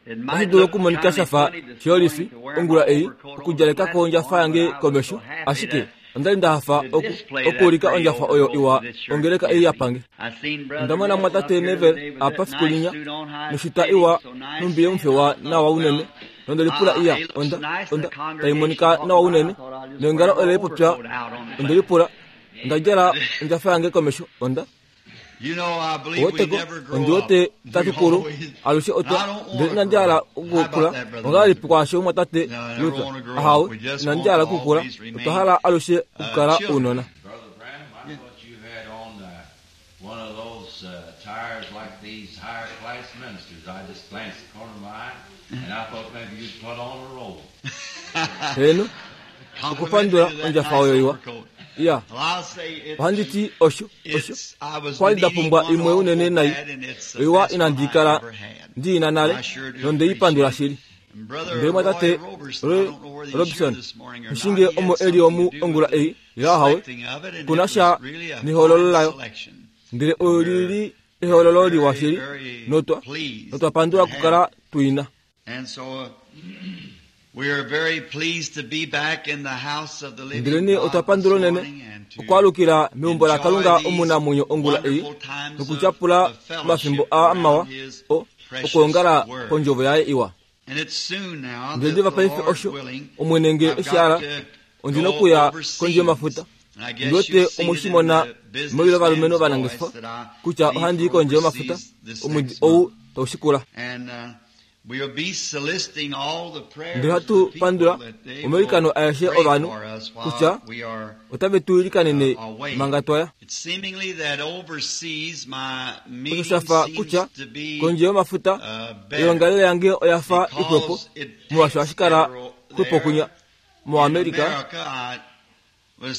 Otashi dulu okumonika sha fa shiyolifi ongula ei okudjaleka ko ondjafa yange komesho, ashike onda li nda hafa oku, okuulika ondjafa oyo iwa ongeleka ei ya pange. Onda mona mwatate Neville apa fiku linya, noshita iwa nhumbi yomufewa nawa unene, nonde lipula iya, onda, onda, tai monika nawa unene, neongalo ole lipopya, onde lipula, onda djala ondjafa yange komesho, onda. Oweteko, ondi wete tatu kulu alushe otwa ndele inandi hala okukula. Ongahelipi kwaasho mwatate Luther? Ahawe, inandi hala okukula. Otwa hala alushe okukala ounona. Brother Branham, I thought you had on one of those attires like these higher class ministers. I just glanced the corner of my eye, and I thought maybe you'd put on a robe. Heeno, okupandula ondjafa oyo iwa. Ya, ohandi ti osho, osho. Kwa li nda pumbwa imwe unene nai, oiwa inandi kala ndi i na nale, nonde i pandula shili. Ndele mwatate Roy Robson, nghishinge omo e li omu ongula ei, ile ahawe, ku na sha nehoololo layo. Ndele oli li ehoololo liwa shili, notwa, notwa pandula okukala tu i na. Ndelenee otwa pandula unene okwaalukila meumbo laKalunga omunamwenyo ongula ei nokutyapula omafimbo aa mawa o okwoongala kondjovo yaye iwa. Ndele diva paife osho, Omwene nge e shi hala, ondi nokuya kondje yomafuta. Ndi wete omu shi mona mewi lovalumenhu ovanangeshefa kutya ohandi i kondje yomafuta omwedi ou tau shikula. Ndele ohatu pandula omailikano aeshe ovanhu kutya otave tu ilikanene manga twa ya. Osho sha fa kutya kondje yomafuta oyoongalele yange oya fa ixwepo molwaashi ohashi kala xwepo kunya moAmerica. Okwa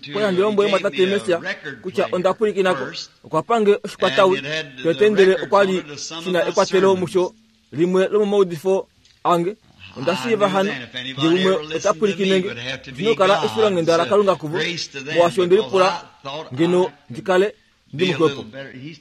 li handi lombwele mwatate Mercier kutya onda pwilikina ko. Okwa pa nge oshikwatawi tete ndele okwa li shi na ekwatelo musho limwe lomomaudifo ange. Onda shiiva hano nge umwe ota pwilikine nge, oshi na okukala efilonghenda laKalunga kuvo, molwaashi onde lipula ngeno ndi kale ndi muxwepo.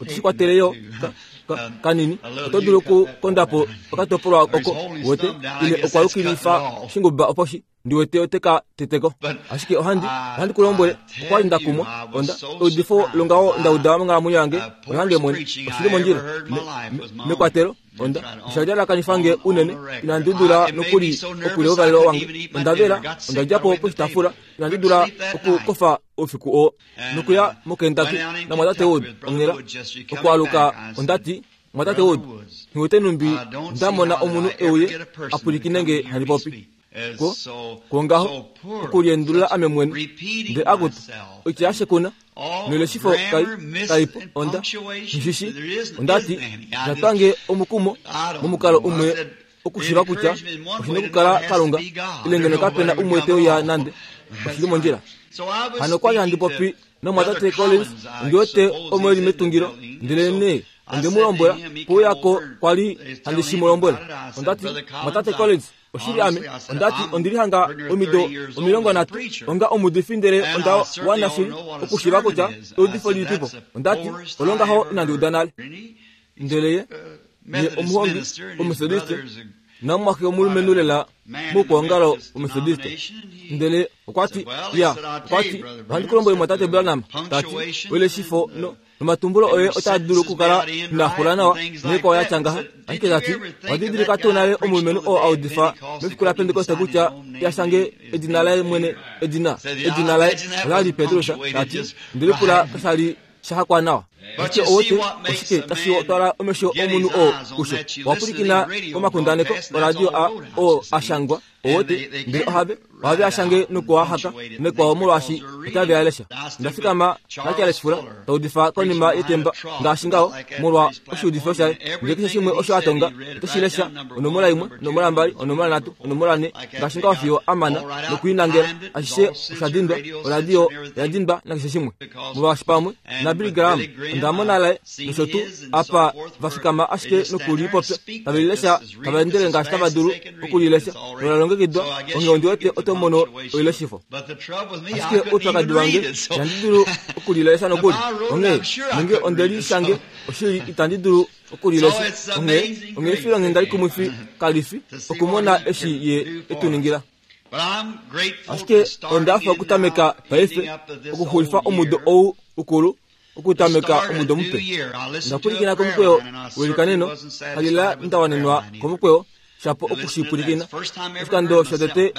Otashi kwatele yo ka, ka, kanini. Oto dulu okukonda po okatopolwa oko, wete, ile okwa yukilifa shinguba opo shi, ndi wete ote ka teteko. Ashike ohandi, ohandi ku lombwele, okwa li nda kumwa. Onda, eudifo longaho nda uda monghalamwenyo yange, olange mwene. Oshi li mondjila. Me, me, mekwatelo, onda, osha lyalakanifa nge unene, inandi dula nokuli okulya ouvalelo wange. Onda vela, onda dja po poshitaafula, inandi dula okukofa oufiku oo. Nokuya moKentucky naMwatate Wood onghela. Okwaaluka onda ti, Mwatate Wood, nghi wete nhumbi nda mona omunhu e uye a pwilikine nge handi popi. Ko, kwongaho, okuliendulula ame mwene. Ndele akutu, oitya yashekuna, noileshifo kai, kai po. Onda, nghi shi shii. Onda ti, Osha twa nge omukumo momukalo umwe okushiiva kutya oshi nokukala Kalunga, ile ngeno kape na umwe te uya nande. Oshi li mondjila. Hano okwa li handi popi nomumwatate Collins, ondi wete omo e li metungilo, ndelenee onde mu lombwela pouya ko kwa li handi shi mu lombwela. Onda ti, Mumwatate Collins, oshili ame, onda ti, ondi li hanga omido 30 onga omuudifi ndele onda wana shili okushiiva kutya eudifo lilipipo. Onda ti, Olo ngaho inandi uda nale. Ndele ye, ye omuhongi Omethodiste namumwaxe omulumenhu lela moukwaongalo Omethodiste. Ndele okwa ti, Ya, okwa ti, ohandi ku lombwele mwatate Branham, ta ti, oileshifo no, nomatumbulo oye otaa dulu okukala inaa xula nawa noikwao ya tya ngaha. Ashike ta ti, owa didilika tuu nale omulumenhu oo a udifa mefiku laPentekoste kutya ya shange edina laye mwene, edina, edina laye ola li Petrus, ta ti, nde lipula kasha li sha hakwa nawa. Ashike owete oshike tashi twala omesho omunhu oo kusho? Owa pwilikina komakundaneko oradio a oo a shangwa, owete, ndele ohave, ohave a shange noku a haka nekwao molwaashi otave a lesha. Onda fikama naCharles Fuller ta udifa konima yetemba ngaashi ngaho molwa oshiudifo shaye, ndele keshe shimwe osho a tonga oto shi lesha, onomola imwe, onomola mbali, onomola nhatu, onomola nhe, ngaashi ngaho fiyo a mana noku i nangela. Ashishe osha dindwa, oradio oya dindwa nakeshe shimwe. Molwaashi pamwe naBilly Graham onda mona laye nosho tuu apa va fikama ashike noku li popya, tave li lesha tava endele ngaashi tava dulu oku li lesha nola longekidwa. longekidwa, onghee ondi wete oto mono oileshifo. Ashike oupyakadi wange, ihandi dulu okulilesha nokuli. Onghee, nenge onde li shange, oshili itandi dulu okulilesha. Onghee, onghee efilonghenda likumwifi kali fi okumona eshi Ye e tu ningila. Ashike onda hafa okutameka paife, okuxulifa omudo ou ukulu, okutameka omudo mupe. Onda pwilikina komukweyo welikaneno, kalila nda wanenwa komukweyo, shapo oku shi pwilikina. Oshikando shotete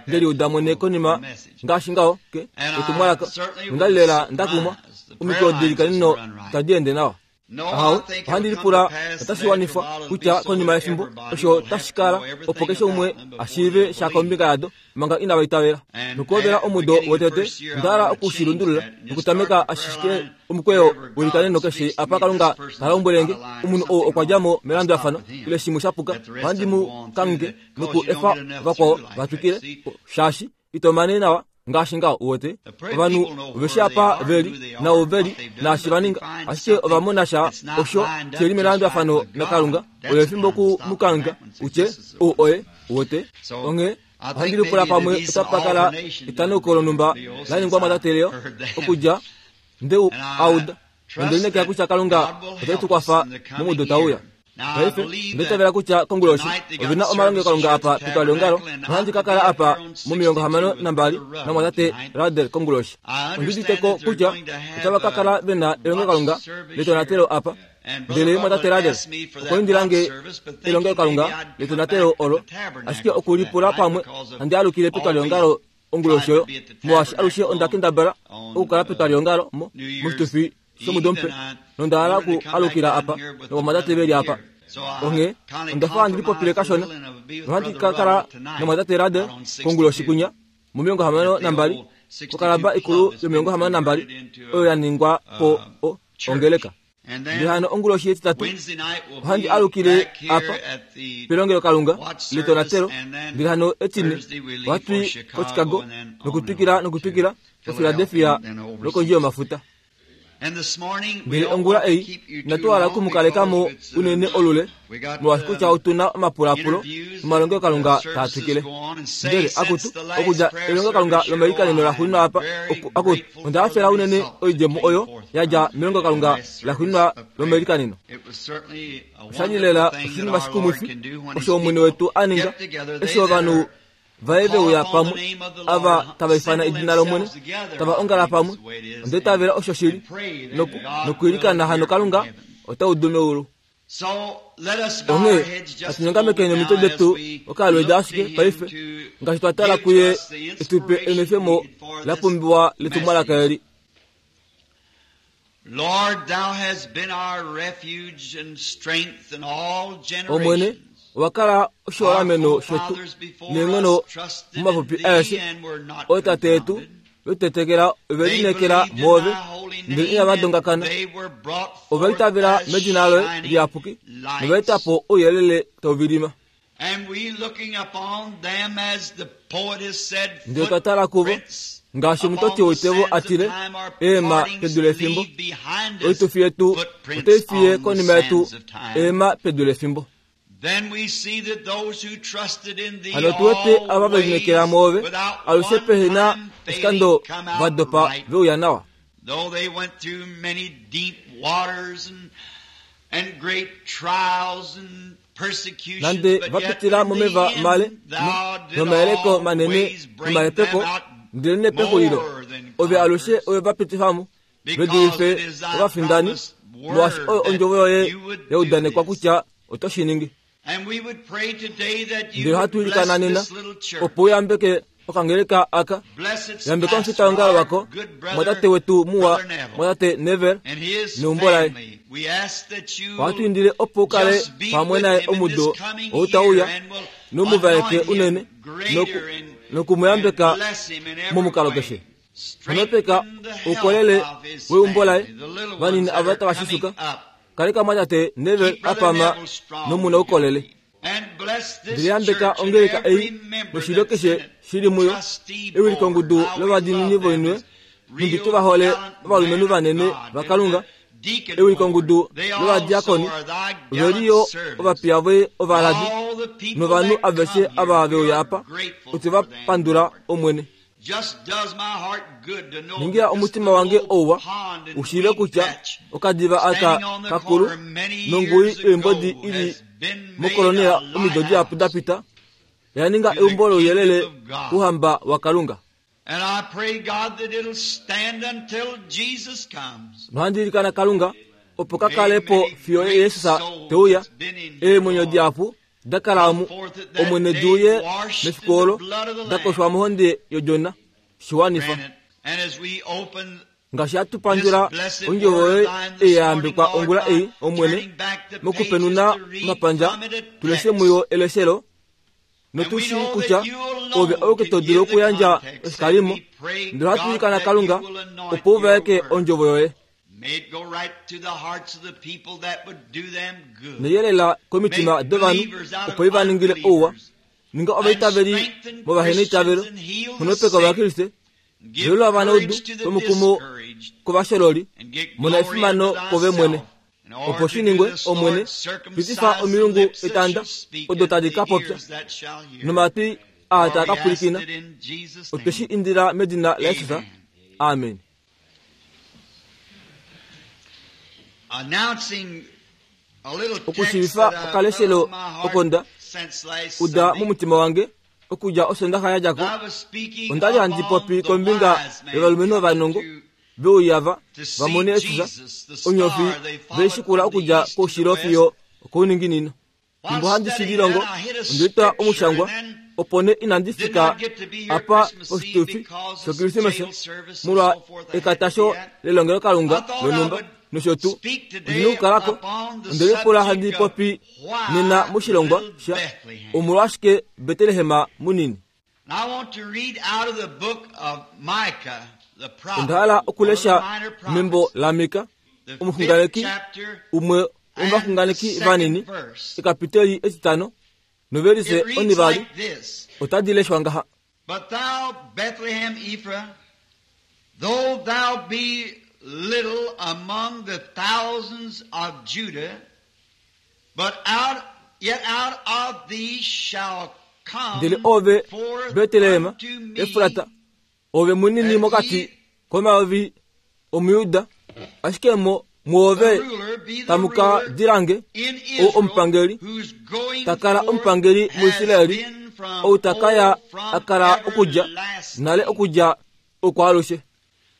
nde liuda mwene konima ngaashi ngaho ke etumwalaka, nonda li lela nda kumwa. Omikweyo delikaneno itadi ende nawa. Ahawe, ohandi lipula otashi wanifwa kutya konima yefimbo osho otashi kala opo keshe umwe a shiive sha kombinga yado manga inava itavela. Nokuhovela omudo wotete, onda hala oku shi lundulula nokutameka ashike omukweyo welikaneno keshe apa Kalunga ta lombwele nge omunhu ou okwa dja mo melandulafano ile shimwe sha puka, ohandi mu kangheke noku efa vakwao va twikile, shaashi ito mane nawa ngaashi ngaho uwete ovanhu ove shi apa ve li nao ve li naashi va ninga ashike ova mona sha osho she li melandulafano nakalunga oyo efimbo ku mu kangheka utye ou oye uwete onghee ohandi lipula pamwe otapa kala etanauko lonhumba la ningwa mwatate okudja nde u auda nonde lineekela kutya kalunga ote tu kwafa momudo tau uya paife onda itavela kutya konguloshi ove na omalongelokalunga apa petwaliongalo nohandi ka kala apa momilongo hamano nambali namwatate Ruddell konguloshi ondi udite ko kutya otava ka kala ve na elongelokalunga letonatelo apa ndele mwatate Ruddell okwa indila nge elongelokalunga letonatelo olo ashike oku lipula pamwe handi alukile petwaliongalo onguloshi oyo molwaashi alushe onda kendabala okukala petwaliongalo mo moshitufi shomudo mupe nonda hala oku alukila apa novamwatate ve li apa onghee onda fa handi lipopile kashona nohandi ka kala nomwatate Ruddell konguloshi kwinya momilongo hamano nambali kokalaba ikulu yomilongo hamano nambali oyo ya ningwa po ongeleka Ndele hano onguloshi yetitatu ohandi alukile apa pelongelokalunga letonatelo. Ndele hano etine ohatu i koChicago nokutwikila nokutwikila koPhiladelphia nokondje yomafuta. Ndele ongula ei inatu hala oku mu kaleka mo unene olule, molwaashi kutya otu na omapulapulo nomalongelokalunga taa twikile. Ndele, akutu, okudja elongelokalunga lomailikaneno la xuuninwa apa, akutu, onda hafela unene oidjemo oyo ya dja melongelokalunga laxuuninwa lomailikaneno. Osha li lela oshinima shikumwifi osho Omwene wetu a ninga eshi ovanhu vaye ve uya pamwe, ava tava ifana edina lOmwene, tava ongala pamwe. Onda itavela osho shili, nokwiilikana hano Kalunga ota udu meulu. Onghee natu nyongamekeni omitwe detu okalweeda ashike paife ngaashi twa tala kuye e tu pe enwefemo la pumbiwa letumwalaka eli. Omwene, owa kala oshiholameno shetu neenghono momapupi aeshe. Ootate yetu ve tetekela ove lineekela mwoove, ndele inava dongakana. Ova itavela medina loye liyapuki nova eta po ouyelele tau vilima. Ndele twa tala kuvo, ngaashi omutoti woitevo a tile, Eema pedu lefimbo. Oitufi yetu otai fiye konima yetu eema pedu lefimbo. Hano otu wete ava ve lineekela mwoove, alushe pehe na oshikando va dopa ve uya nawa. Nande va pitila momeva male nomayeleko manene nomahepeko, ndelenee pexulilo ove alushe ove va pitifa mo, ve dulife ovafindani, molwaashi oyo ondjovo yoye ya udanekwa kutya oto shi ningi. Ndele ohatu ilikana nena opo u yambeke okangeleka aka, yambeka omufitaongalo wako, mwatate wetu muwa, mwatate Neville neumbo laye. Ohatu indile opo u kale pamwe naye omudo ou tau uya, nou mu vaeke unene noku mu yambeka momukalo keshe. Xonopeka oukolele weumbo laye, vanini ava tava shisuka. Kaleka mwatate Neville a pama nomu na oukolele. Ndele yambeka ongeleka ei noshilyo keshe shi li muyo, ewilikongudu lovadiinini voinwe, nhumbi tu va hole ovalumenhu vanene vaKalunga, ewilikongudu lovadiakoni, ove li yo ovapiya voye ovaladi. Novanhu aveshe ava ve uya apa, otwe va pandula, Omwene. Ningila omutima wange ouwa u shiive kutya okadiva aka kakulu nongui yoimbodi i li mokolonela omido dihapu da pita oya ninga eumbo louyelele kouhamba waKalunga. Nohandi ilikana Kalunga opo ka kale po fiyo Jesus te uya. Eemwenyo dihapu da kala omu, Omwene di uye mefiku olo, da koshwa mohonde yOdjona. Shi wanifa. Ngaashi hatu pandula ondjovo yoye ei ya yambekwa ongula ei, Omwene, mokupenuna omapandja, tu leshe muyo eleshelo, notu shii kutya ove auke to dulu okuyandja oshikalimo, ndele ohatu ilikana Kalunga opo u vaeke ondjovo yoye. Neyelela komitima dovanhu opo i va ningile ouwa. Ninga ovaitaveli movaheneitavelo, nghonopeka Ovakriste, velula ovanaudu vomukumo kovashololi, mona efimano kove mwene. Opo shi ningwe, Omwene, pitifa omilungu etanda odo tadi ka popya, nomatwi aa taa ka pwilikina. Otwe shi indila medina laJesus. Amen. Okushiivifa okaleshelo oko nda uda momutima wange okudja Osondaxa ya dja ko, onda li handi popi kombinga yovalumenhu ovanongo ve uya va va mone Jesus, onyofi ve i shikula okudja koushilo fiyo okouninginino. Fimbo handi shi lilongo, onde litwa omushangwa, opo nee inandi fika apa poshitufi shOkrismesa molwa ekatasho lelongelokalunga lonhumba nosho tuu. Ondi na okukala ko. Onde lipula handi popi nena moshilongwa sha Omolwashike Betlehem munini. Onda hala okulesha membo laMika, omuxunganeki umwe womovaxunganeki vanini, ekapiteli etitano novelise onivali otadi leshwa ngaha. But thou, Bethlehem Ephrath, though thou be little among the thousands of Judah, but out, yet out of thee shall come Ndele ove, forth Betlehem unto me Efrata, ove munini mokati komayovi omuJuda, ashike mo mwoove the ruler, be the tamu ka ruler dilange in ou Israel, omupangeli whose going ta kala forth omupangeli has muIsraeli, been from ou ta ka ya old, from a kala okudja everlasting. nale okudja okwaalushe.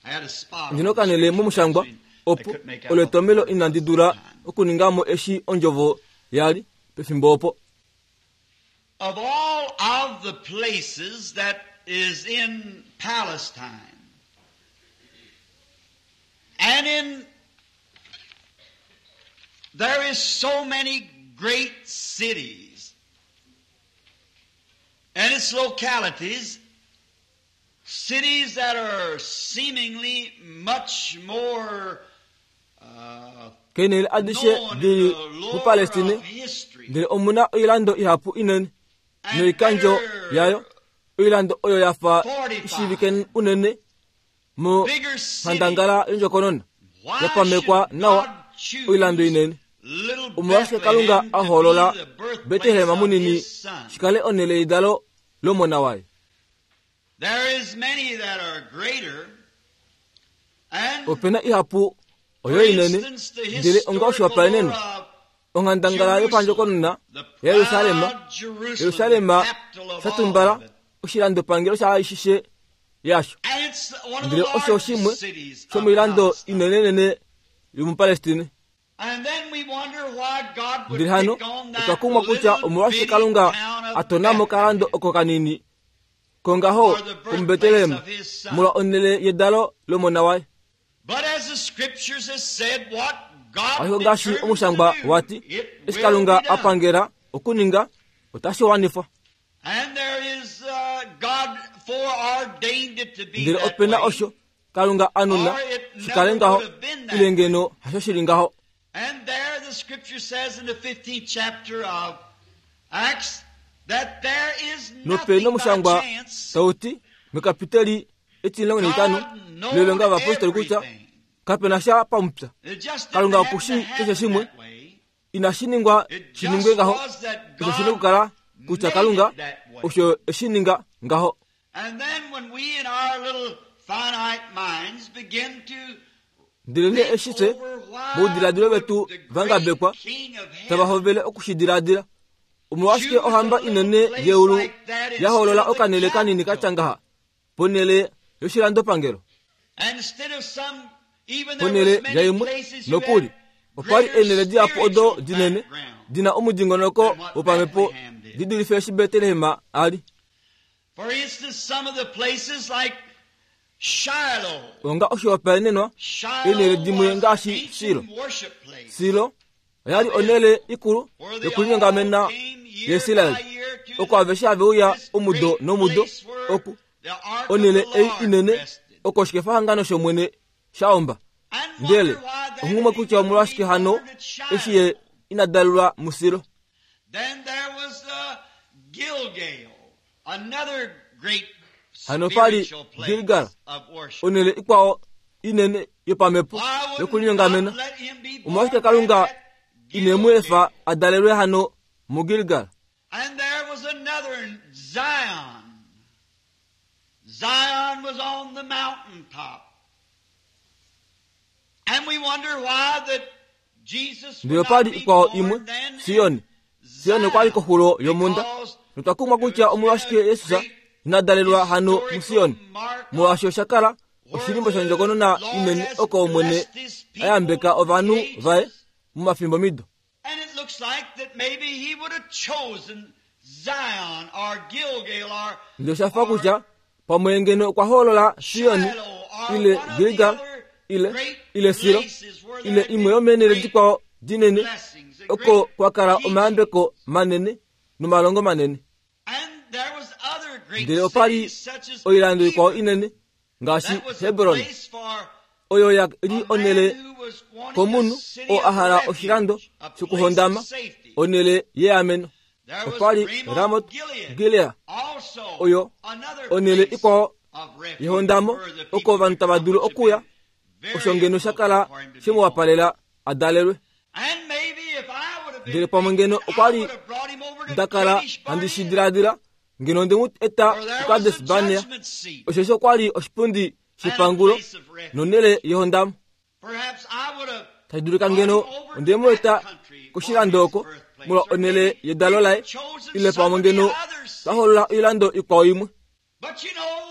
I had a spot Ndino on the kanele scripture momushangwa I opo couldn't make out olo what the etomelo word inandi was at dula the time. okuninga mo eshi ondjovo ya li pefimbo opo. Of all of the places that is in Palestine and in there is so many great cities and its localities, cities that are seemingly much more Keenhele adishe known di in li the lore muPalestine, of history ndele omu na oilando ihapu inene and noikandjo better yayo, oilando oyo ya fa fortified, ishiivike unene bigger cities. monghandangala yondjokonona, Why ya pamekwa should nawa God choose oilando inene. little Omolwashike Kalunga Bethlehem a to be hoolola the birthplace Betlehem of munini his son? shi kale onhele yedalo lomona waye? There is many that are greater, and Ope na ihapu for oyo inene, instance, the ndele onga historical oshihopaenenwa, lore of onghandangala yopandjokonona Jerusalem, the yaJerusalem, proud Jerusalem, Jerusalem the capital of sha all tumbala of it. oshilandopangelo shaaishishe yasho. And it's one of the Ndele osho largest shimwe cities of shomoilando Palestine. inenenene yomuPalestine. And then we wonder why God would Ndele hano pick on otwa that kumwa kutya little omolwashike bitty Kalunga town of a tona mokalando Bethlehem oko kanini kongaho for the birthplace komuBetlehem of his son. molwa onhele yedalo lomona waye. But as the scriptures has said, what God Ashike ngaashi determines to omushangwa do, wati, it eshi will Kalunga be a done. pangela okuninga, otashi wanifwa. And there is God foreordained it to be Ndele that ope na way. osho Kalunga a nuna Or it shi kale never ngaho, would have been that ile way. ngeno hasho shi li ngaho. And there the scripture says in the 15th chapter of Acts that there is Nope nothing by nomushangwa chance. tau ti mekapiteli etimulongo naitano God knows lelonga ovapostoli kutya everything. kape na sha pamupya. It just didn't Kalunga happen oku to shii keshe happen shimwe. that way. Inashi ningwa It shi ningwe just ngaho. was that Osho shi na God okukala kutya Kalunga osho e shi ninga ngaho. Ndelenee eshi fye, moudiladilo vetu va ngabekwa, tava hovele oku shi diladila, omolwashike ohamba inene yeulu ya hoolola okanhele kanini ka tya ngaha ponhele yoshilandopangelo? Ponhele yaimwe nokuli, opa li eenhele dihapu odo dinene di na omudingonoko wopamhepo di dulife eshi Betlehem a li. Onga oshihopaenenwa, eenhele dimwe ngaashi Silo. Silo oya li onhele ikulu yokulinyongamena yaIsrael, oko aveshe have uya omudo nomudo oku onhele ei inene oko oshikefahangano shOmwene sha omba. Ndele onghumwe kutya omolwashike hano eshi ye ina dalelwa muSilo. Hano pa li Gilgal, onhele ikwao inene yopamhepo yokulinyongamena. Omolwashike Kalunga ine mu efa a dalelwe hano muGilgal? And there was another in Zion. Zion was on the mountaintop. And we wonder why that Jesus Ndele opa li ikwao imwe, Sion. Sion okwa li koxulo yomhunda. Notwa kumwa kutya omolwashike Jesus ina dalelwa hano muSion, molwaashi osha kala oshilimbo shondjokonona inene oko Omwene a yambeka ovanhu vaye momafimbomido. And it looks like that maybe he would have chosen Zion or Gilgal or Ndele osha fa kutya pamwe ngeno okwa hoolola Sion ile Gilgal ile ile Silo ile imwe yomeenhele dikwao dinene oko kwa kala omayambeko manene nomalongo manene. And there was other great Ndele opa li cities such as oilando ikwao Hebron. inene ngaashi That was a Hebron place for oyo ya li a man onhele who was wanting komunhu a city oo a of hala refuge, oshilando a place of shokuhondama safety. onhele yeameno. There was Opa li Ramoth Ramot Gilead, Gilead also oyo another onhele place ikwao of refuge yehondamo where the people oko ovanhu tava dulu could come, okuya which would be osho ngeno sha kala very appropriate for him to she be mu born. wapalela a dalelwe. And maybe if I would have been Ndele pamwe ngeno thinking, okwa I li would have brought him over to nda kala Kadesh handi shi Barnea. diladila ngeno onde mu eta For there was kuKades a Barnea judgment seat osheshi okwa li oshipundi and a shepangulo place of refuge. nonhele yehondamo. Perhaps I would have Tashi dulika brought him ngeno over to onde mu that eta country for koshilando his oko birthplace. molwa Or onhele maybe yedalo we laye have chosen ile some pamwe of the ngeno other twa hoolola oilando ikwao imwe. But you know,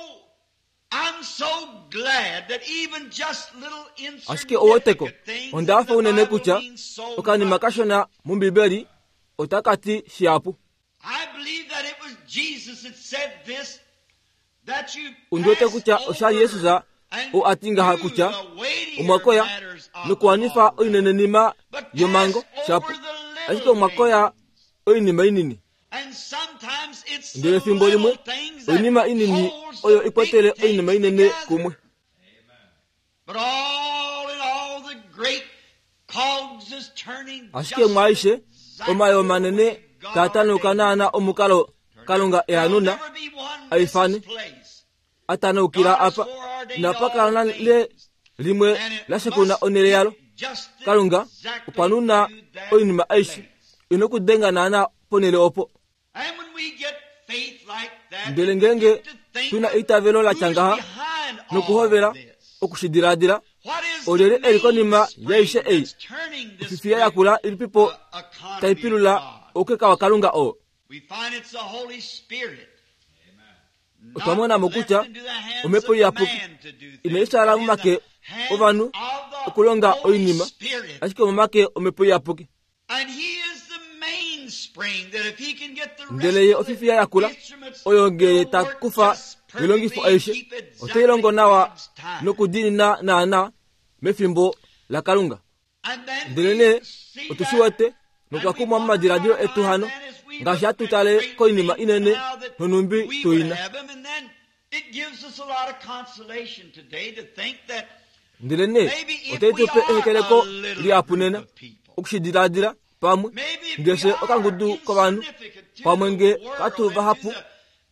I'm so glad that even just little Ashike oweteko insignificant things onda in hafa the unene Bible kutya mean so okanima much. kashona mOmbibeli otaka ti shihapu. I believe that it was Jesus that said this, that you Ondi wete pass kutya osha li Jesus over and oo a ti ngaha do kutya the weightier omwakoya matters of the nokuwanifa law. oinenenima But yomhango pass shapu over the ashike little omwakoya things. oinima inini. And sometimes it's the Ndele efimbo limwe little things that oinima inini holds the oyo big ikwetele oinima things inene together. kumwe. But all in all, the great cogs is turning Ashike just mwaaishe exactly omayo the manene way God taatanuka ordained. naana omukalo Kalunga e a There'll nuna never be one a ifane missed place. atanaukila God has apa foreordained inapa all kala nale things, limwe and it la shekuna must onhele yalo. be just Kalunga exactly okwa nuna to that oinima aishe place. ina okudenga naana ponhele opo. And when we get faith like that, Ndele we ngeenge begin to think tuna of eitavelo la tya who's ngaha behind all nokuhovela this. oku shi diladila What is the olyelye e li konima yaishe mainspring ei that's turning this ofifiya great yakula ilipipo economy tai of pilula God? oukeka waKalunga oo. We find it's the Holy Spirit. Otwa Not mona mo left kutya into the hands omhepo of iyapuki man to do inai things, twala but in momake the hands ovanhu of the okulonga Holy oinima Spirit. ashike omomake omhepo iyapuki. And he is the mainspring that if he can get the rest Ndele ye of the ofifiya yakula instruments oyo ngee to ta work kufa just oilongifo perfectly and aishe keep otai longo exactly nawa God's time. nokudiinina naana mefimbo laKalunga. And then Ndele we nee see otu shi that wete notwa and we kumwa wonder momadiladilo our etu mind hano then as we ngaashi look hatu at tale great koinima things inene now that nonhumbi we tu would ina. have them, and then it gives us a lot of consolation today to think that Ndele nee maybe if otai we tu pe are ehekeleko a little lihapu group nena of people, oku shi diladila pamwe maybe if we ngaashi are okangudu kovanhu insignificant to pamwe the nge world katu and to vahapu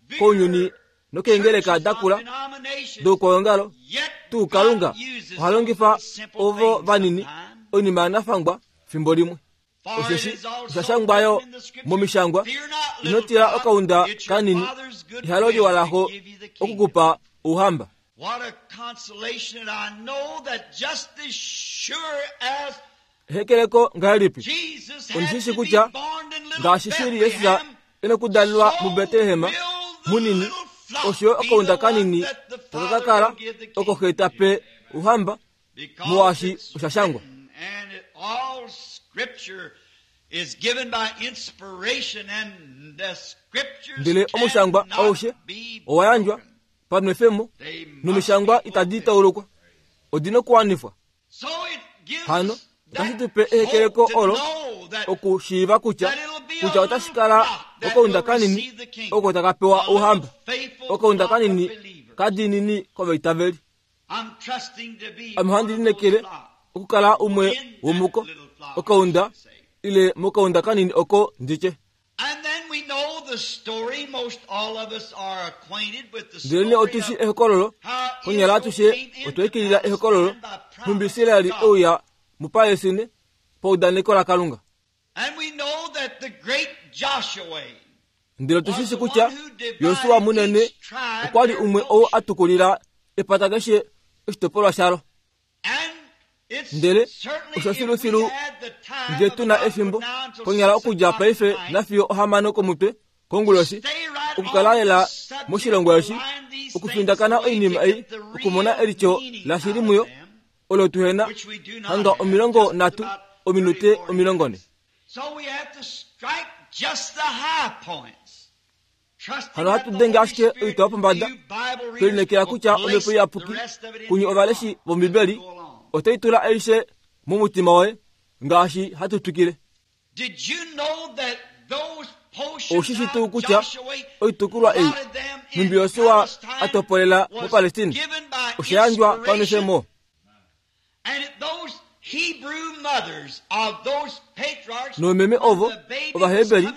the kounyuni bigger nokeengeleka churches da of kula denominations, doukwaongalo yet tuu Kalunga God uses oha longifa those simple ovo things vanini sometimes. oinima yanafangwa fimbo limwe. Osheshi osha shangwa yo momishangwa, Ino tila okaunda kanini, ehalo liwa laxo oku ku pa ouhamba. Ehekeleko ngahelipi! Ondi shi shii kutya ngaashi shili Jesus e nokudalelwa muBetlehem munini, osho yo okaunda kanini taka ka kala oko xe ta pe ouhamba, molwaashi osha shangwa. Ndele omushangwa aushe owa yandjwa panwefemo, nomishangwa itadi taulukwa, odi nokuwanifwa. Hano otashi tu pe ehekeleko olo okushiiva kutya kutya otashi kala okaunda kanini oko taka pewa ouhamba, okaunda kanini kadiinini kovaitaveli. Ame ohandi lineekele okukala umwe womuko, okaunda ile mokaunda kanini oko nditye. Ndelenee otu shi ehokololo, konyala atushe otwa ikilila ehokololo, nhumbi Israel e uya muPalestine paudaneko laKalunga. Ndele otu shi shi kutya Josua munene okwa li umwe ou a tukulila epata keshe oshitopolwa shalo. Ndele osho filufilu nge tu na efimbo, konyala okudja paife nafiyo ohamano komutwe konguloshi, okukala lela moshilongo eshi, okufindakana oinima ei, okumona elityo lashili muyo, olo tuhena hanga 30 ominute 40. Hano ohatu denge ashike oitwa yopombada, twe lineekela kutya Omhepo Iyapuki kunye ovaleshi vOmbibeli otai tula aishe momutima woye ngaashi hatu twikile. Ou shi shi tuu kutya oitukulwa ei nhumbi Josua a topolela muPalestina osha yandjwa panwefemo? Noomeme ovo Ovaheberi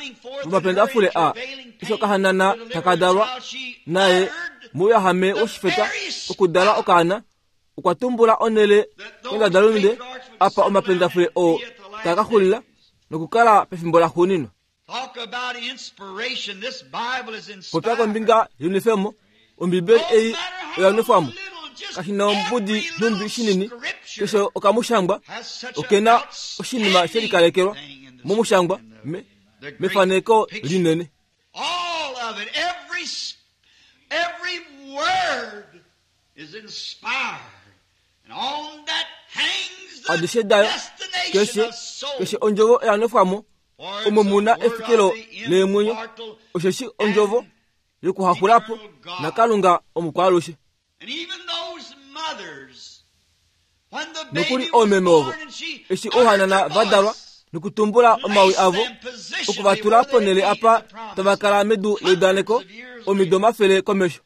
vomapendafule a eshi okahanana taka dalwa, naye mouyahame woshifeta okudala okaana, okwa tumbula onhele kondadalunde apa omapendafule oo taa ka xulila nokukala pefimbo laxuuninwa. Popya kombinga yenwefemo, Ombibeli ei oya nwefwa mo. Kashi na ombudi nhumbi shinini, keshe okamushangwa oke na oshinima she likalekelwa momushangwa me, mefaneko linene. Adishe dayo, keshe, keshe ondjovo oya nwefwa mo, omo mu na efikilo leemwenyo, osheshi ondjovo yokuhaxula po naKalunga omukwaalushe. Nokuli oomeme ovo, eshi ouhanana va dalwa nokutumbula omawi avo, oku va tula ponhele apa tava kala medu leudaneko omido omafele komesho.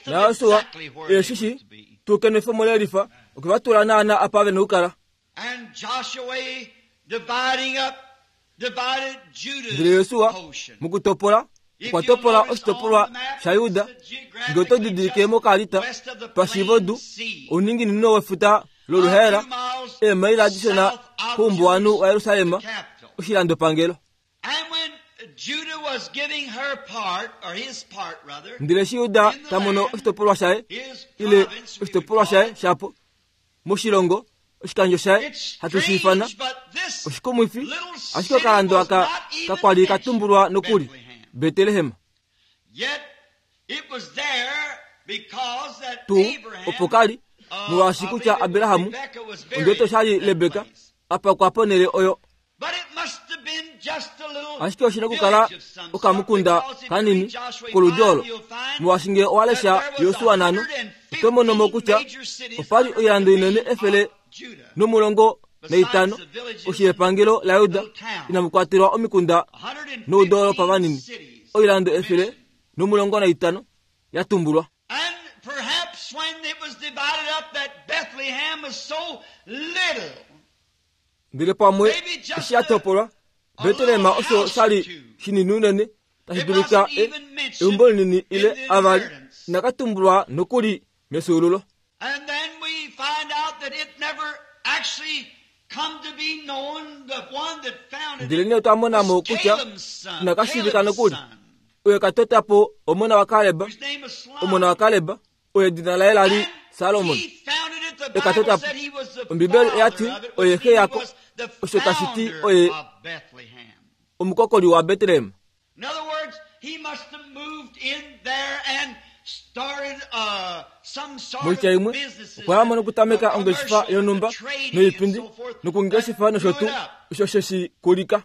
NaJosua e shi shi tuu kenwefemo lelifa okwe va tula naana apa ve na okukala. Ndele Josua mokutopola okwa topola oshitopolwa shaJuda. Ngee oto didilike mokaalita pashiivodu ouninginino wefuta loluhaela, eemaila dishona koumbuwanhu waJerusalem, oshilandopangelo. Ndele eshi Juda ta mono oshitopolwa shaye, ile oshitopolwa shaye shapo, moshilongo, oshikandjo shaye, hatu shi ifana, oshikumwifi, ashike okalando aka kakwa li ka tumbulwa nokuli, Betlehem. Tuu opo ka li, molwaashi kutya Abraham, ondoto sha li Rebeka, a pakwa ponhele oyo. Ashike oshi na okukala okamukunda kanini koludi olo, molwaashi ngee owa lesha Josua nano, oto mono mo kutya opa li oilando inene 115 koshi yepangelo laJuda, inamu kwatelwa omikunda noudoolopa vanini, oilando 115 ya tumbulwa. Ndele pamwe eshi ya topolwa, Betlehem osho sha li shinini unene tashi dulika e, eumbo linini ile avali inaka tumbulwa nokuli mefyuululo. Ndele nee otwa mona mo kutya inaka shiivika nokuli oye ka tota po omona waKaleb, omona waKaleb oye edina laye la li Salomon. E ka tota po. Ombibeli oya ti oye xe yako, osho tashi ti oye omukokoli waBetlehem. Moitya imwe, okwa ya mo nokutameka ongeshefa yonhumba noipindi nokungeshefa nosho tuu osho she shi kulika.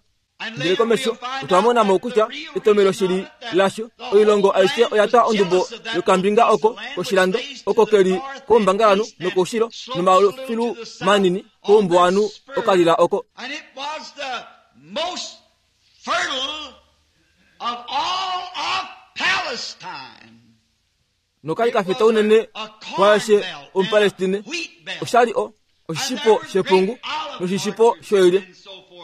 Ndele komesho otwa mona mo kutya etomelo shili lasho oilongo aishe oya twa ondubo yokambinga oko koshilando oko ke li koumbangalanhu nokoushilo nomafilu manini koumbuwanhu okalila oko. Noka li ka feta unene kwaashe Omupalestine. Osha li o, oshishipo shepungu noshishipo shoilya.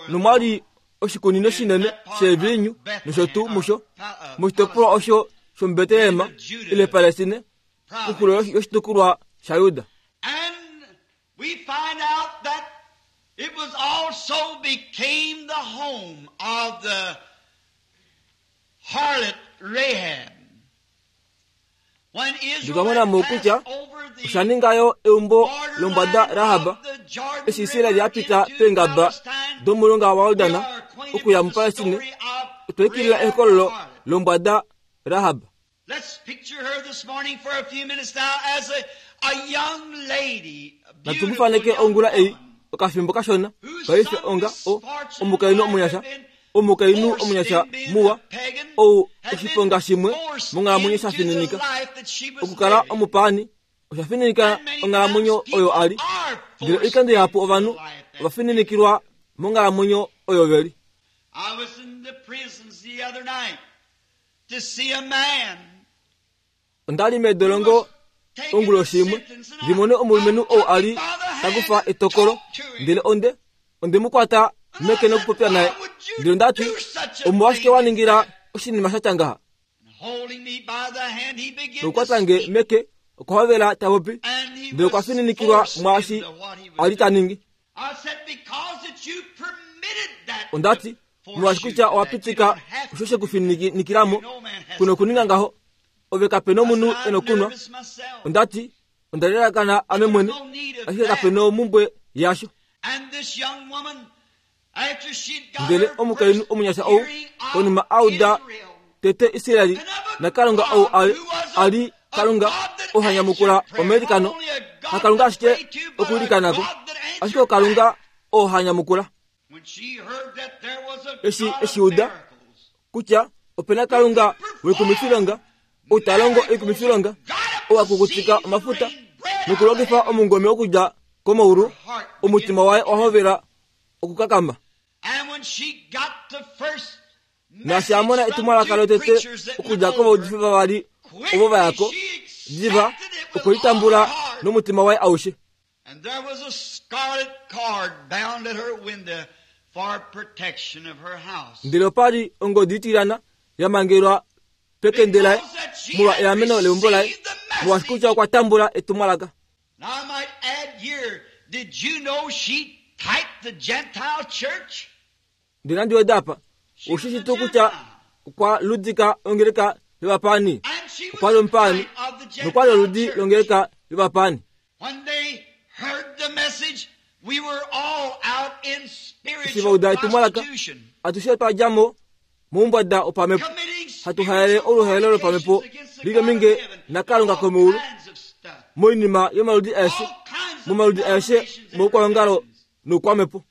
Nomwa li oshikunino shinene sheeviinyu nosho tuu musho, moshitopolwa osho shomuBetlehem ile Palestine, koxulo yoshitukulwa shaJuda. We find out that it was also became the home of the harlot Rahab. When Israel Ndotwa mona mo kutya osha ninga yo eumbo lombwada Rahab eshi Israel ya pita peengaba domulonga waJordan okuya muPalestine. Otwa ikilila ehokololo lombwada Rahab. Natu mu faneke ongula ei okafimbo kashona paife onga o, omukainhu omunyasha, omukainhu omunyasha muwa, ou oshiponga shimwe monghalamwenyo sha fininika. Okukala omupaani osha fininika onghalamwenyo oyo a li. Ndele oikando ihapu ovanhu ova fininikilwa monghalamwenyo oyo ve li. Onda li medolongo onguloshi imwe ndi mone omulumenhu ou a li ta kufa etokolo, ndele onde onde mu kwata meke nokupopya naye, ndele onda ti, Omolwashike wa ningila oshinima sha tya ngaha? Nokukwata nge meke okwa hovela ta popi, ndele okwa fininikilwa mwaashi a li ta ningi. Onda ti, Molwaashi kutya owa pitika osho she ku fininikila mo, ku nokuninga ngaho. Ove kape nomunhu e nokunwa. Onda ti, Onda lalakana ame mwene, ashike kape nomumbwe yasho. Ndele omukainhu omunyasha ou, konima a uda tete Israel naKalunga ou a li Kalunga ou ha nyamukula omailikano, haKalunga ashike okwiilikanako, ashike oKalunga oo ha nyamukula. Eshi eshi uda kutya ope na Kalunga wekumifilonga ou ta longo oikumifilonga, ou a kukutika omafuta nokulongifa omungome okudja komaulu, omutima waye owa hovela okukakama. Naashi a mona etumwalaka lotete okudja kovaudifi vavali ovo va ya ko, diva okwe li tambula nomutima waye aushe. And there was a scarlet cord bound at her window for protection of her house. Ndele opa li ongodi itilyana ya mangelwa pekende laye molwa eameno leumbo laye, molwaashi kutya okwa tambula etumwalaka. And I might add here, did you know she typed the Gentile church? Ndele nandi weda apa, ou shi shii tuu kutya okwa ludika ongeleka yovapaani? Okwa li omupaani, nokwa li oludi longeleka yovapaani. Eshi va uda etumwalaka, atushe otwa dja mo moumbwada wopamhepo, hatu haele oluhaelo lopamhepo li lominge naKalunga komeulu moinima yomaludi aeshe, momaludi aeshe moukwaongalo noukwamhepo.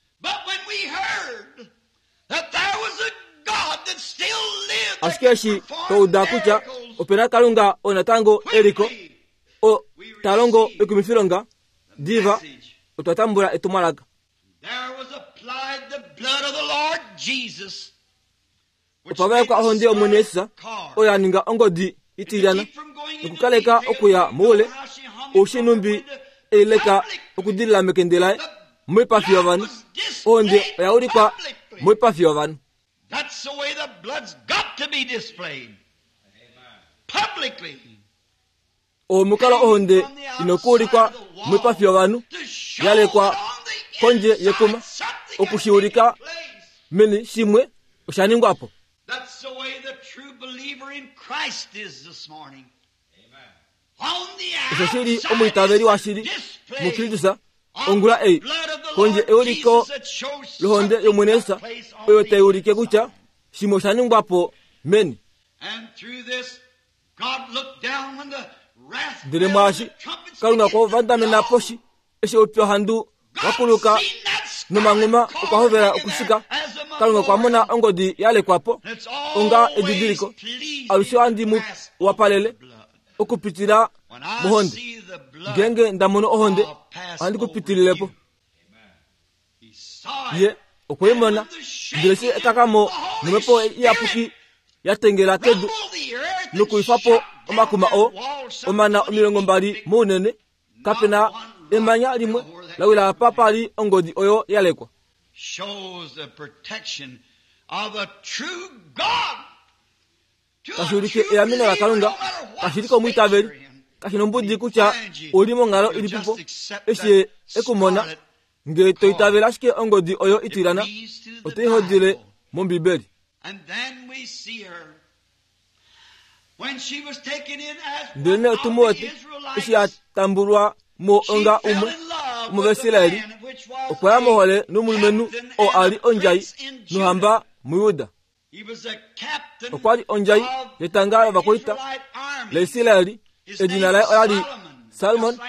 Ashike eshi twa uda kutya ope na Kalunga oo natango e li ko, oo ta longo oikumifilonga, diva otwa tambula etumwalaka. Opa vaekwa ohonde yOmwene Jesus, oyo ya ninga ongodi itilyana nokukaleka okuya moule oushinumbi ei leka okudilila mekende laye moipafi yovanhu. Ohonde oya ulikwa moipafi yovanhu. Oo omukalo ohonde ina okuulikwa moipafi yovanhu, ya lekwa kondje yekuma, oku shi ulika meni shimwe osha ningwa po. Osho shi li omwiitaveli washili muKristus ongula ei, kondje euliko lohonde yOmwene Jesus oyo tai ulike kutya shimwe osha ningwa po meni. Ndele mwaashi, Kalunga okwa vandamena poshi eshi oupyuhandu wa kuluka nomanghuma okwa hovela okushika. Kalunga okwa mona ongodi ya lekwa po onga edidiliko. Alushe ohandi mu wapalele okupitila mohonde. Ngeenge nda mono ohonde, ohandi ku pitilile po. Ye okwe i mona, ndele eshi ekakamo nomhepo iyapuki ya tengela kedu nokuifa po omakuma oo omana 20 mounene, kape na emanya limwe la wila apa pa li ongodi oyo ya lekwa. Tashi ulike eameno laKalunga kashili komwiitaveli, kashi nombudi kutya ou li monghalo ilipipo, eshi Ye e ku mona, nge to itavele ashike ongodi oyo itilana, oto i hodile mOmbibeli. Ndelenee otu mu wete, eshi a tambulwa mo onga umwe womOvaisraeli, okwa ya mohole nomulumenhu oo a li ondjai nohamba muJuda. Okwa li ondjai yetanga lovakwaita laIsraeli. Edina laye ola li Salmon,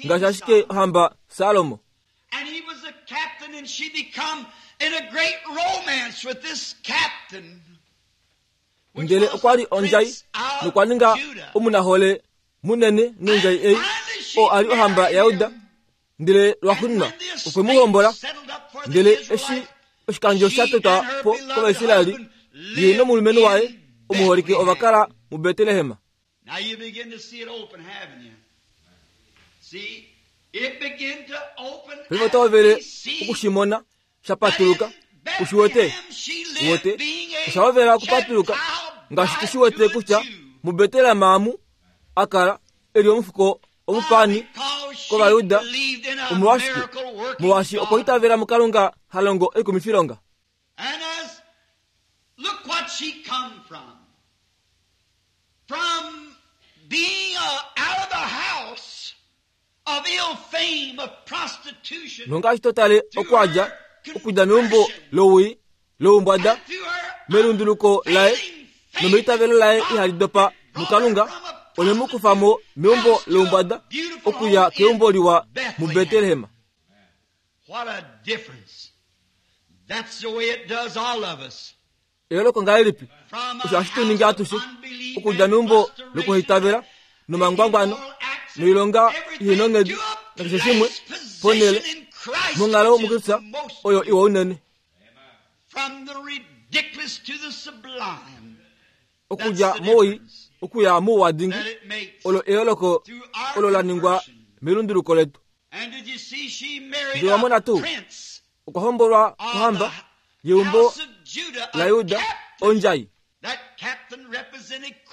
ngaashi ashike ohamba Salomo. And he was a captain and she become in a great romance with this captain. Ndele okwa li ondjai nokwa ninga omunahole munene nondjai ei oo a li ohamba yaJuda. Ndele lwaxuuninwa okwe mu hombola. Ndele eshi oshikandjo sha totwa po kOvaisraeli, ye nomulumenhu waye omuholike ova kala muBetlehem. Now you begin to see it open, haven't you? See, it begin to open Paife oto hovele oku shi mona sha patuluka. U shi wete? U wete? Osha hovela okupatuluka ngaashi tu shi wete kutya muBetlehem amu a kala e li omufuko omupaani kOvayuda. Omolwashike? Molwaashi okwa itavela muKalunga ha longo oikumifilonga. And as, look what she come from. From being out of the house of ill fame, of prostitution, Nongaashi to tale okwa dja okudja meumbo lowii, loumbwada, melunduluko laye nomeitavelo laye ihali dopa muKalunga, ole mu kufa mo meumbo loumbwada okuya keumbo liwa muBetlehem. What a difference. That's the way it does all of us. Eyooloko ngahelipi! Osho ohashi tu ningi atushe, okudja meumbo lokuhaitavela, nomangwangwano, noilonga ihe nonghedi, nakeshe shimwe, ponhele, monghalo muKristus, oyo iwa unene. Okudja mowii okuya mouwa dingi, olo eyooloko olo la ningwa melunduluko letu. Ndele owa mona tuu? Okwa hombolwa kohamba yeumbo laJuda, ondjai.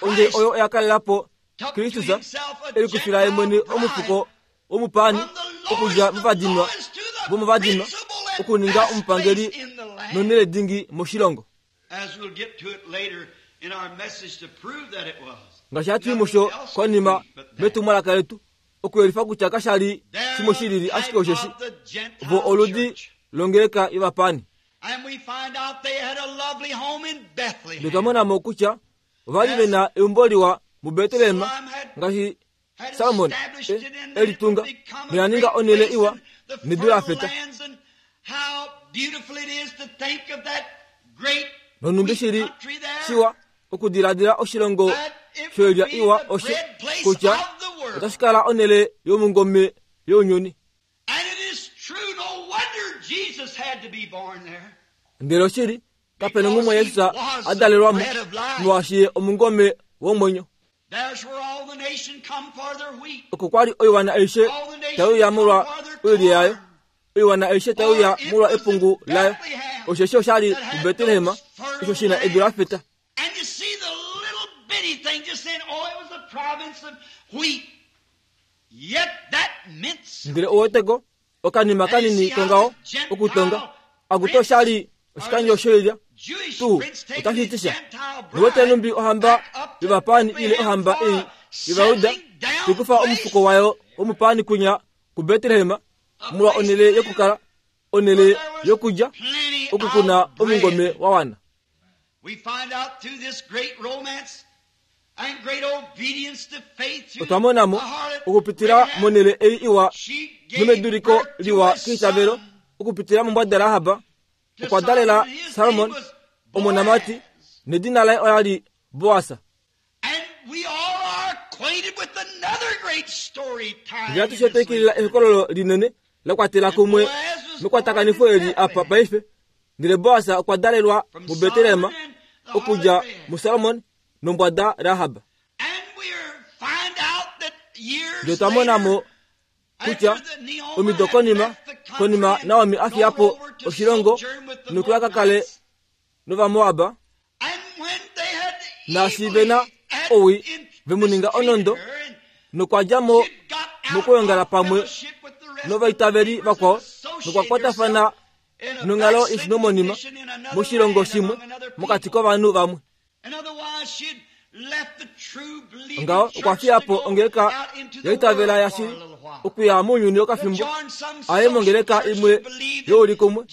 Ondjai oyo oya kalela po Kristus, e likufila ye mwene omufuko womupaani okudja movadinwa vomovadinwa okuninga omupangeli nonhele dingi moshilongo. Ngaashi hatu i musho konima metumwalaka letu, okuyelifa kutya kasha li shimwe shi lili ashike osheshi vo oludi longeleka yovapaani. Ndele twa mona mo kutya ova li ve na eumbo liwa muBetlehem ngaashi Salomon e li tunga, noya ninga onhele iwa nedu la feta. Nonhumbi shi li shiwa okudiladila oshilongo shoilya iwa osho kutya otashi kala onhele yomungome younyuni. Ndele oshili, kape nonghumwe Jesus a dalelwa mo, molwaashi ye omungome womwenyo. Oko kwa li oiwana aishe tai uya molwa oilya yayo, oiwana aishe tai uya molwa epungu layo, osheshi osha li muBetlehem, osho shi na edu la feta. Ndele ouweteko okanima kanini kongaho okutonga akuti oshali oshikandjo shoilya tuu otashi ti sha. Ouwete nhumbi ohamba yovapaani ile ohamba ei yOvayuda tai kufa omufuko wayo womupaani kwinya kuBetlehem molwa onhele yokukala, onhele yokulya, oku ku na omungome wa wana. Otwa mona mo, okupitila monhele ei iwa nomeduliko liwa keitavelo, okupitila mombwada Rahab, okwa dalela Salmon omonamati, nedina laye ola li Boas. Ndele atushe otwa ikilila ehokololo linene la kwatela kumwe mekwatakanifo eli apa paife. Ndele Boas okwa dalelwa muBetlehem okudja muSalmon nombwada Rahab. Ndele otwa mona mo kutya omido konima, konima Naomi a fiya po oshilongo nokuya ka kale nOvamoab, naashi ve na owii ve mu ninga onondo nokwa dja mo mokwoongala pamwe novaitaveli vakwao nokwa kwatafana nonghalo yeshinomonima moshilongo shimwe mokati kovanhu vamwe. Ngaho okwa fiya po ongeleka yaitavela yashili okuya mounyuni okafimbo aye mongeleka imwe youlikumwe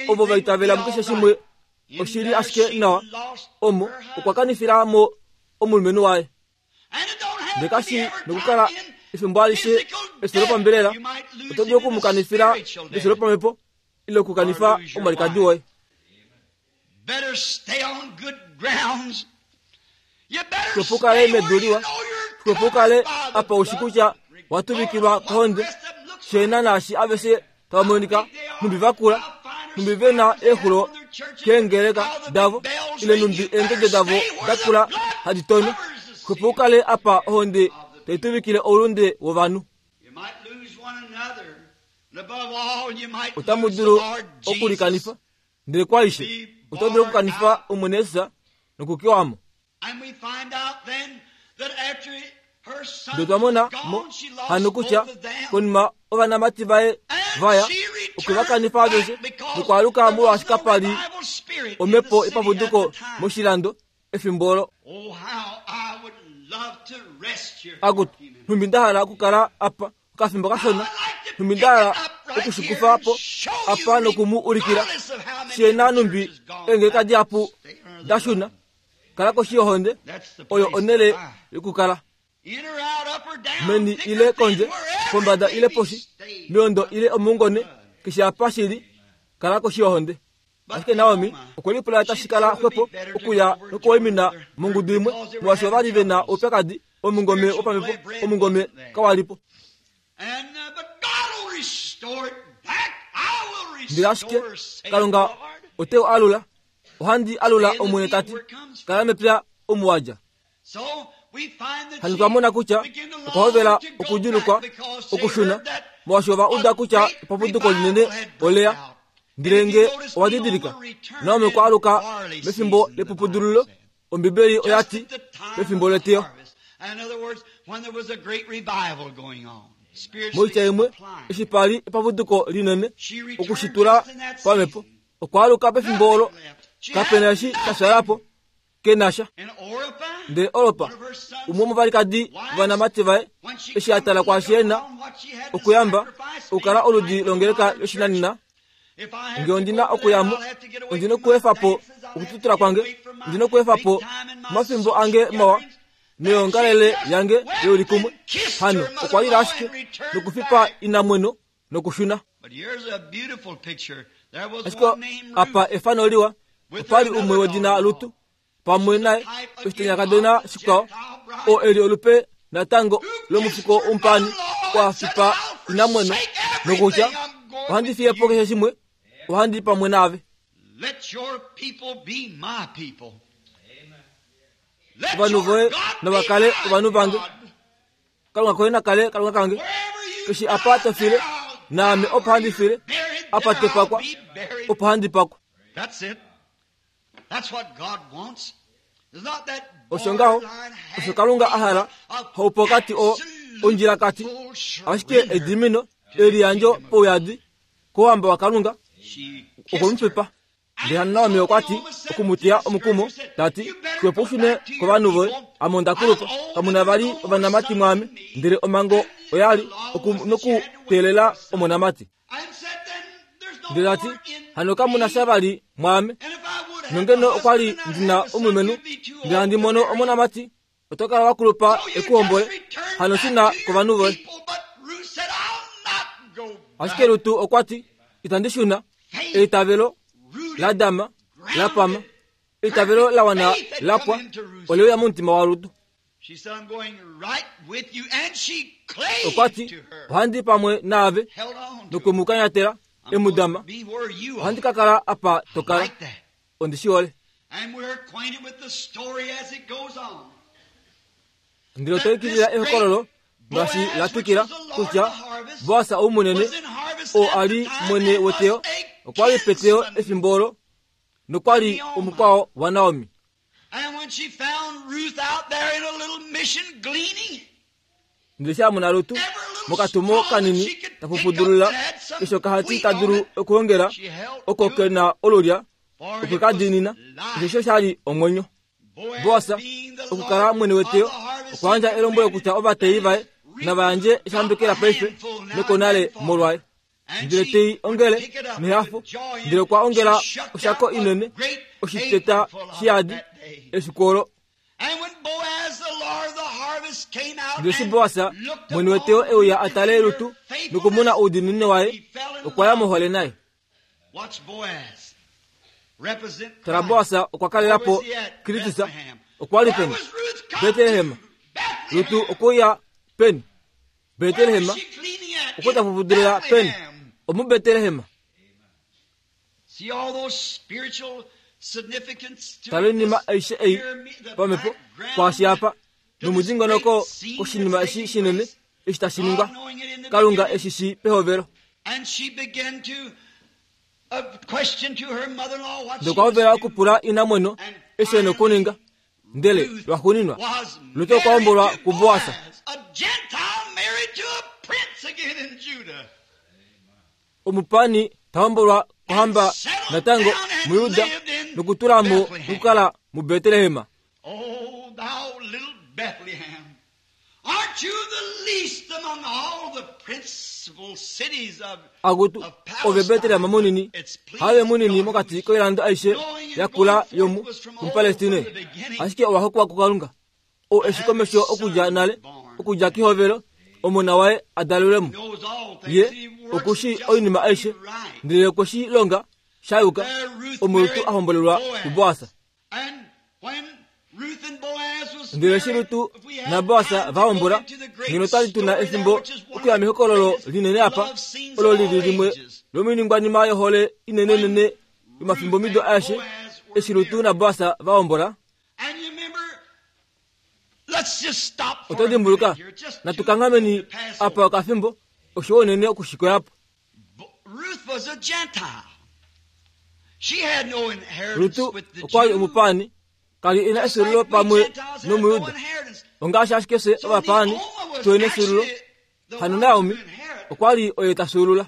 ovo va itavela mukeshe shimwe oshili ashike nawa omo okwa kanifila mo omulumenhu waye. Ndele kashi nokukala efimbo alishe efyo lopambelela, oto dulu oku mu kanifila efyo lopamhepo ile okukanifa omwalikadi woye. Xwepo u kale medu liwa, xwepo u kale apa u shi kutya wa tuvikilwa kohonde, sheena naashi aveshe tava monika nhumbi va kula, nhumbi ve na eexulo keengeleka davo, ile nhumbi eendede davo da kula hadi tono. Xwepo u kale apa ohonde tai tuvikile oulunde wovanhu. Otamu dulu okulikanifa, ndele kwaaishe, oto dulu okukanifa Omwene Jesus nokukewa mo. Ndele otwa mona mo hano kutya konima ovanamati vaye vaya, okwe va kanifa aveshe nokwaaluka molwaashi kapa li omhepo yepapuduko moshilando efimbo olo. Akutu, nhumbi nda hala okukala apa okafimbo kashona, nhumbi nda hala okushikufa po apa noku mu ulikila she na nhumbi eengeleka dihapu da shuna. Kala koshi yohonde, oyo onhele yokukala. Meni ile kondje, pombada ile poshi, meondo ile omungone, keshe apa shi li, kala koshi yohonde. Ashike Naomi okwe lipula tashi kala xwepo okuya nokuwaimina mongudu imwe, molwaashi ova li ve na oupyakadi womungome wopamhepo, omungome kawa li po. Ndele ashike Kalunga ote u alula. Ohandi alula, Omwene ta ti, kala mepya omu wa dja. Hano twa mona kutya okwa hovela okudjulukwa okushuna, molwaashi ova uda kutya epapuduko linene ole ya. Ndele nge owa didilika, Naomi okwa aluka mefimbo lepupudululo, Ombibeli oya ti, pefimbo leteyo. Moitya imwe, eshi pa li epapuduko linene okushitula pamhepo, okwa aluka pefimbo olo kape na eshi sha fyala po, ke na sha. Ndele Orpa, umwe womovalikadi vovanamati vaye, eshi a tala kwaashi e na okuyamba, okukala oludi longeleka yoshinanena, Nge ondi na okuya mo, ondi na okuefa po okututula kwange, ondi na okuefa po omafimbo ange mawa noyoongalele yange youlikumwe. Hano okwa lila ashike nokufipa inamweno nokushuna. Ashike apa efano liwa, opa li umwe wedina Lutu pamwe naye oshitanyakadona shikwao, oo e li olupe natango lomufuko womupaani wa fipa inamweno nokutya, Ohandi fiye po keshe shimwe, ohandi i pamwe naave. Ovanhu voye nava kale ovanhu vange. Kalunga koye na kale Kalunga kange. Keshe apa to file, naame opo handi file, apa to pakwa, opo handi pakwa. Osho ngaho, osho Kalunga a hala, haupokati oo ondjilakati, ashike edimino, eliyandjo pouyadi kouhamba waKalunga, okwe mu fipa. Ndele hano Naomi okwa ti, oku mu teya omukumo, ta ti, Xwepo u shune kovanhu voye, ame onda kulupa, kamu na vali ovanamati mwaame. Ndele omhango oya li oku nokuteelela omonamati. Ndele ta ti, Hano kamu na sha vali mwaame. Nongeno okwa li ndi na omulumenhu, ndele handi mono omonamati, oto kala wa kulupa e ku hombole, hano shuna kovanhu voye. Ashike Rutu okwa ti, Itandi shuna. Eitavelo la dama, la pama, eitavelo la wana la pwa, ole uya momutima waRutu. Okwa ti, Ohandi pamwe naave, nokwe mu kanyatela, e mu dama. Ohandi ka kala apa to kala. Ondi shi hole. Ndele otwa ikilila ehokololo ngaashi la twikila kutya Boas ou munene oo a li mwene weteyo okwa li peteyo efimbo olo nokwa li omukwao waNaomi. Ndele eshi a mona Rut mokatumo kanini ta pupudulula keshe okahati ta dulu okuhongela oko ke na olulya, okwe ka diinina, osheshi osha li omwenyo. Boas okukala mwene weteyo okwa yandja elombwelo kutya ovateyi vaye nava yandje eshambekela paife nokonale molwaye. Ndele te i ongele nehafo, ndele okwa ongela oshako inene, oshiteta shiyadi efiku olo. Ndele eshi Boas, mwene weteyo e uya a tale Rut nokumona oudiinini waye, okwa ya mohole naye. Tala Boas okwa kalela po Kristus. Okwa li peni? Betlehem. Rut okwe uya peni? Betlehem. Okwe ta pupudulila peni? OmuBetlehem. Tala oinima aishe ei pamhepo kwaashi apa nomudingonoko koshinima eshi shinene eshi tashi ningwa. Kalunga eshi shi pehovelo. Ndele okwa hovela okupula inamweno eshi e nokuninga. Ndele lwaxuuninwa, Rut okwa hombolwa kuBoas. Omupani ta hombolwa kohamba natango muJuda nokutula mo okukala muBetlehem. Oh, thou little Bethlehem, aren't you the least among all the principal cities of Akutu, ove Betlehem munini, have munini mokati koilando aishe yakula yomu muPalestine, ashike owa hokwa kuKalunga, oo eshi komesho okudja nale, okudja kehovelo, omona waye a dalelwe mo. Ye oku shii oinima aishe, ndele okwe shi longa sha yuka, omo Rut a hombolelwa kuBoas. Ndele eshi Rut naBoas va hombola, ngeno otwa li tu na efimbo okuya mehokololo linene apa, olo li li limwe lomoiningwanima yohole inenenene yomafimbomido aeshe, eshi Rut naBoas va hombola. Oto dimbuluka? Natu kanghameni apa okafimbo, osho unene okushikoya po. Rut okwa li omupaani, ka li e na efyuululo pamwe nOmujuda. Ongaashi ashike fye ovapaani tuhe na efyuululo, hano Naomi okwa li oye ta fyuulula.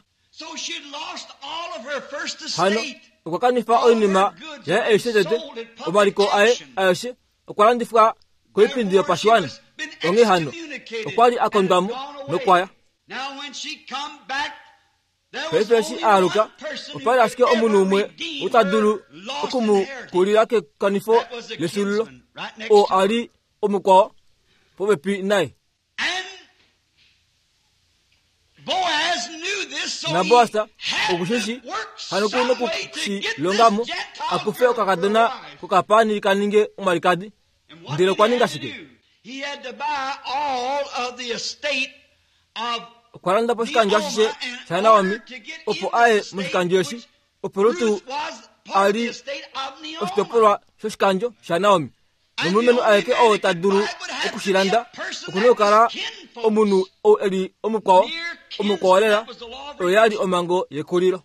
Hano okwa kanifa oinima yaye aishe tete, omaliko aye aeshe okwa landifwa koipindi yopashiwana. Onghee hano, okwa li a kondwa mo nokwa ya. Paife eshi a aluka, opa li ashike omunhu umwe ou ta dulu oku mu kulila kekanifo lefyuululo, oo a li omukwao popepi naye. NaBoas oku shi shi, hano ku noku shi longa mo, a kufe okakadona kokapaani ka ninge omwalikadi. Ndele okwa ninga shike? Okwa landa po oshikandjo ashishe shaNaomi opo a ye moshikandjo eshi, opo Rut a li oshitopolwa shoshikandjo shaNaomi. Nomulumenhu aeke oo ta dulu oku shi landa oku na okukala omunhu ou e li omukwao, omukwao lela, oyo ya li omhango yekulilo.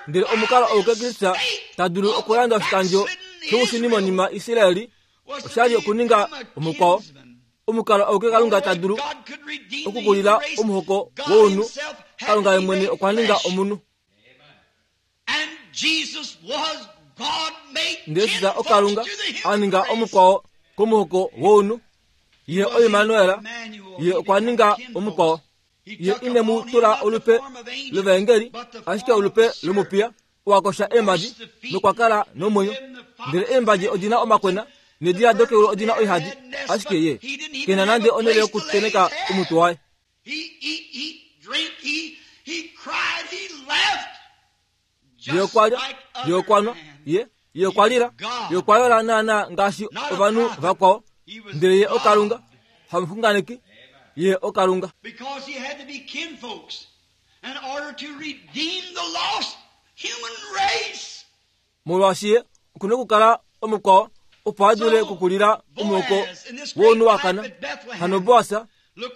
Ndele omukalo auke Kristus ta dulu okulanda oshikandjo shoushunimonima Israel Osha li okuninga omukwao. Omukalo auke Kalunga ta dulu okukulila omuhoko wounhu, Kalunga ye mwene okwa ninga omunhu. Ndele Jesus oKalunga a ninga omukwao komuhoko wounhu. Ye oImmanuel, Ye okwa ninga omukwao. Ye ine mu tula olupe lovaengeli, ashike olupe lomupiya owa kosha eemhadi nokwa kala nomwenyo. Ndele eembadje odi na omakwena needila dokeulu odi na oihadi, ashike ye ke na nande onhele yokutenheka omutwe waye. Ye okwa lya, ye okwa nwa, ye, ye okwa lila, ye okwa yola naanaa ngaashi ovanhu vakwao. Ndele ye oKalunga, hamuxunganeki, ye oKalunga. Molwaashi ye oku na okukala omukwao opo a dule okukulila omuhoko wounhu wa kana. Hano Boas,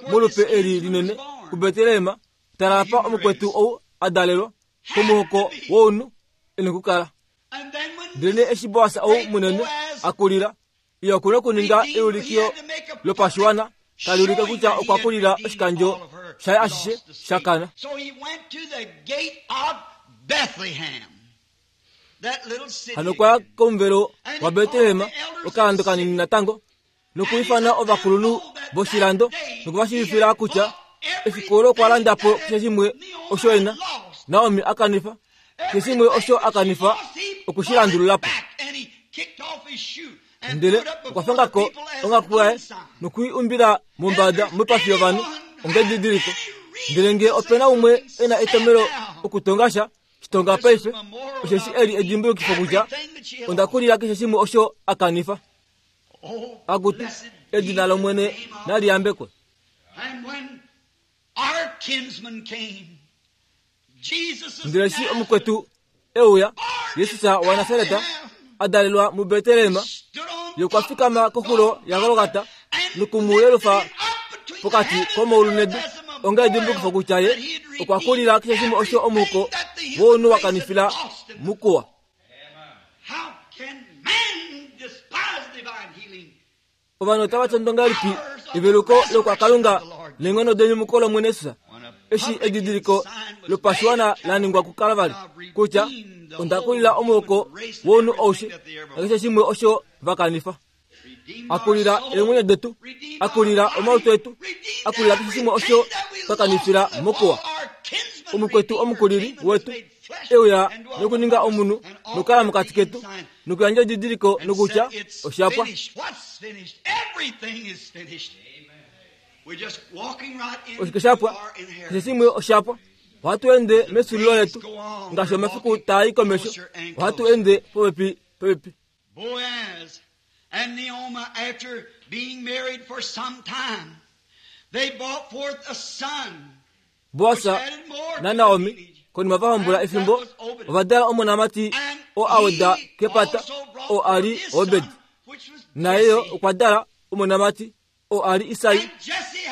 molupe eli linene kuBetlehem, tala apa omukwetu ou a dalelwa, komuhoko wounhu e na okukala. Ndelenee eshi Boas ou munene a kulila, Ye oku na okuninga eulikio lopashiwana tali ulike kutya okwa kulila oshikandjo shaye ashishe sha kana. Hano okwa ya komuvelo waBetlehem, okalando kanini natango, nokuifana ovakulunhu voshilando noku va shiivifila kutya efiku olo okwa landa po keshe shimwe osho e na. Naomi a kanifa Keshe shimwe osho a kanifa oku shi landulula po. Ndele okwa fanga ko onghaku yaye noku i umbila mombada moipafi yovanhu ongedidiliko. Ndele ngee ope na umwe e na etomhelo okutonga sha, shi tonga paife, osheshi eli edimbulukifo kutya onda kulila keshe shimwe osho a kanifa. Akutu, edina lOmwene nali yambekwe. Ndele eshi omukwetu e uya, Jesus waNasaret, a dalelwa muBetlehem, ye okwa fikama koxulo yaGolgata noku mu yelufa pokati komaulu nedu onga edimbulukifo kutya ye okwa kulila keshe shimwe osho omuhoko wounhu wa kanifila mukuwa. Ovanhu otava tondo ngahelipi eveluko lokwakalunga neenghono denyumuko lOmwene Jesus eshi edidiliko lopashiwana la ningwa kuKalvari kutya onda kulila omuhoko wounhu aushe nakeshe shimwe osho va kanifa. A kulila eemwenyo detu, a kulila omalutu etu, a kulila keshe shimwe osho twa kanifila mokuwa. Omukwetu omukulili wetu e uya nokuninga omunhu nokukala mokati ketu nokuyandja edidiliko nokutya osha pwa. Oshike sha pwa? Keshe shimwe osha pwa. Ohatu ende mesulilo letu ngaashi omafiku taa i komesho. Ohatu ende popepi popepi. Boaz and Naomi, after being married for some time, they brought forth a son. Boas naNaomi konima va hombola efimbo ova dala omonamati oo a weda kepata oo a li Obed. Naye yo okwa dala omonamati oo a li Isai.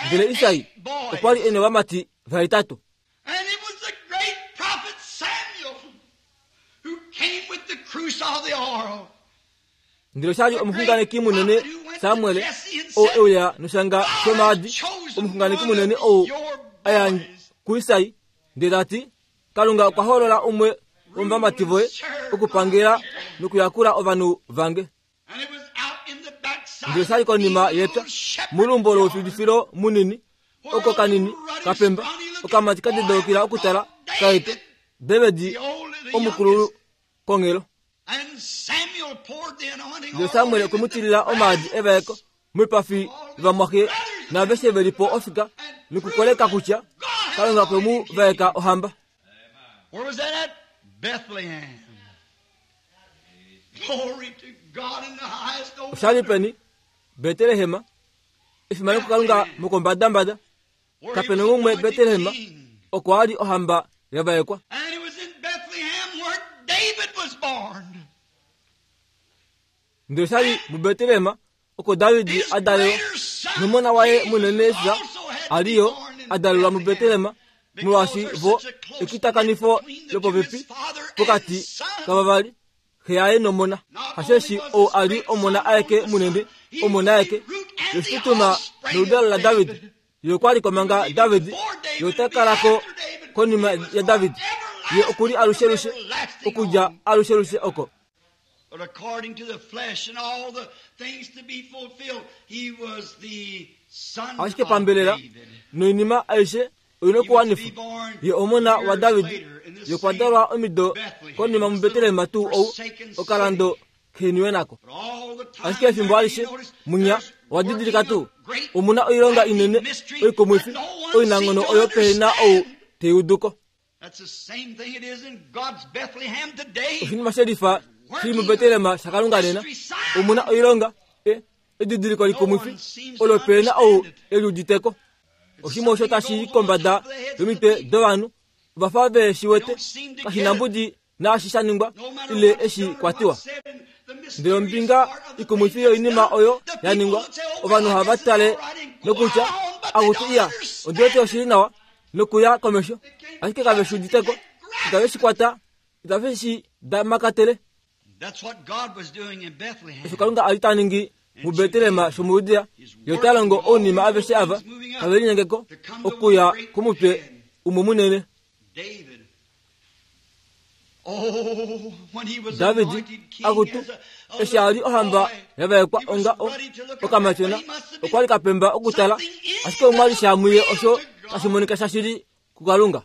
Ndele Isai okwa li e novamati vahetatu. Ndele osha li omuxunganeki munene Samuel oo e uya noshanga shomaadi, omuxunganeki munene ou a ya kuIsai ndele ta ti, Kalunga okwa hoolola umwe womovamati voye okupangela nokuyakula ovanhu vange. Ndele osha li konima yepya, molumbo loufilifilo munini, oko kanini kapemba, okamati ka dedaukila okutala kaete, David omukululu konghelo. Ndele Samuel okwe mu tilila omaadi evaeko moipafi yovamwaxe naaveshe ve li po ofika nokukoleka kutya Kalunga okwe mu vaeka ohamba. Osha li peni? Betlehem. Efimano kuKalunga mokombadambada. Kape na umwe Betlehem oko a li ohamba ya vaekwa. Ndele osha li muBetlehem oko David a dalelwa, nomona waye munene Jesus a li yo a dalelwa muBetlehem, molwaashi vo ekitakanifo lopopepi pokati kavavali. Xe yaye nOmona. Hasheshi ou a li Omona aeke munene, Omona aeke, yoshitutuma noludalo laDavid. Ye okwa li ko manga David, ye ota kala ko konima yaDavid. Ye oku li alushelushe, okudja alushelushe oko. But according to the flesh and all the things to be fulfilled, he was the son Ashike of pambelela David. noinima aishe oina okuwanifwa. Ye omona waDavid, ye okwa dalwa omido konima muBetlehem tuu ou, okalando keniwe nako. But all the time Ashike efimbo alishe munya owa didilika tuu omuna oilonga inene oikumwifi oinanghono oyo pehe na ou tei uduko. That's the same thing it is in God's Bethlehem today. Oshinima shelifa shili muBetlehem shaKalunga nena omuna oilonga edidiliko likumwifi olo pehe na ou e liuditeko. Oshinima osho tashi i kombada yomitwe dovanhu ova fa ve shi wete kashi na mbudi naashi sha ningwa ile eshi kwatiwa. Ndele ombinga ikumwifi yoinima oyo ya ningwa, ovanhu ohava tale nokutya, Akutu iya, ondi wete oshili nawa nokuya komesho, ashike kave shi uditeko, itave shi kwata, itave shi damakatele. That's what God was doing in Bethlehem. Osho Kalunga a li ta ningi muBetlehem shomuJudea, ye ota longo ounima aveshe ava tave linyengeko okuya komutwe umwe munene. David. Oh, when he was David anointed king akutu as a eshi a li little ohamba boy, yavaekwa he was onga o ready to look up, okamatyona but he must have been okwa li kapemba okutala ashike omwa li shamuye osho tashi monika shashili kuKalunga.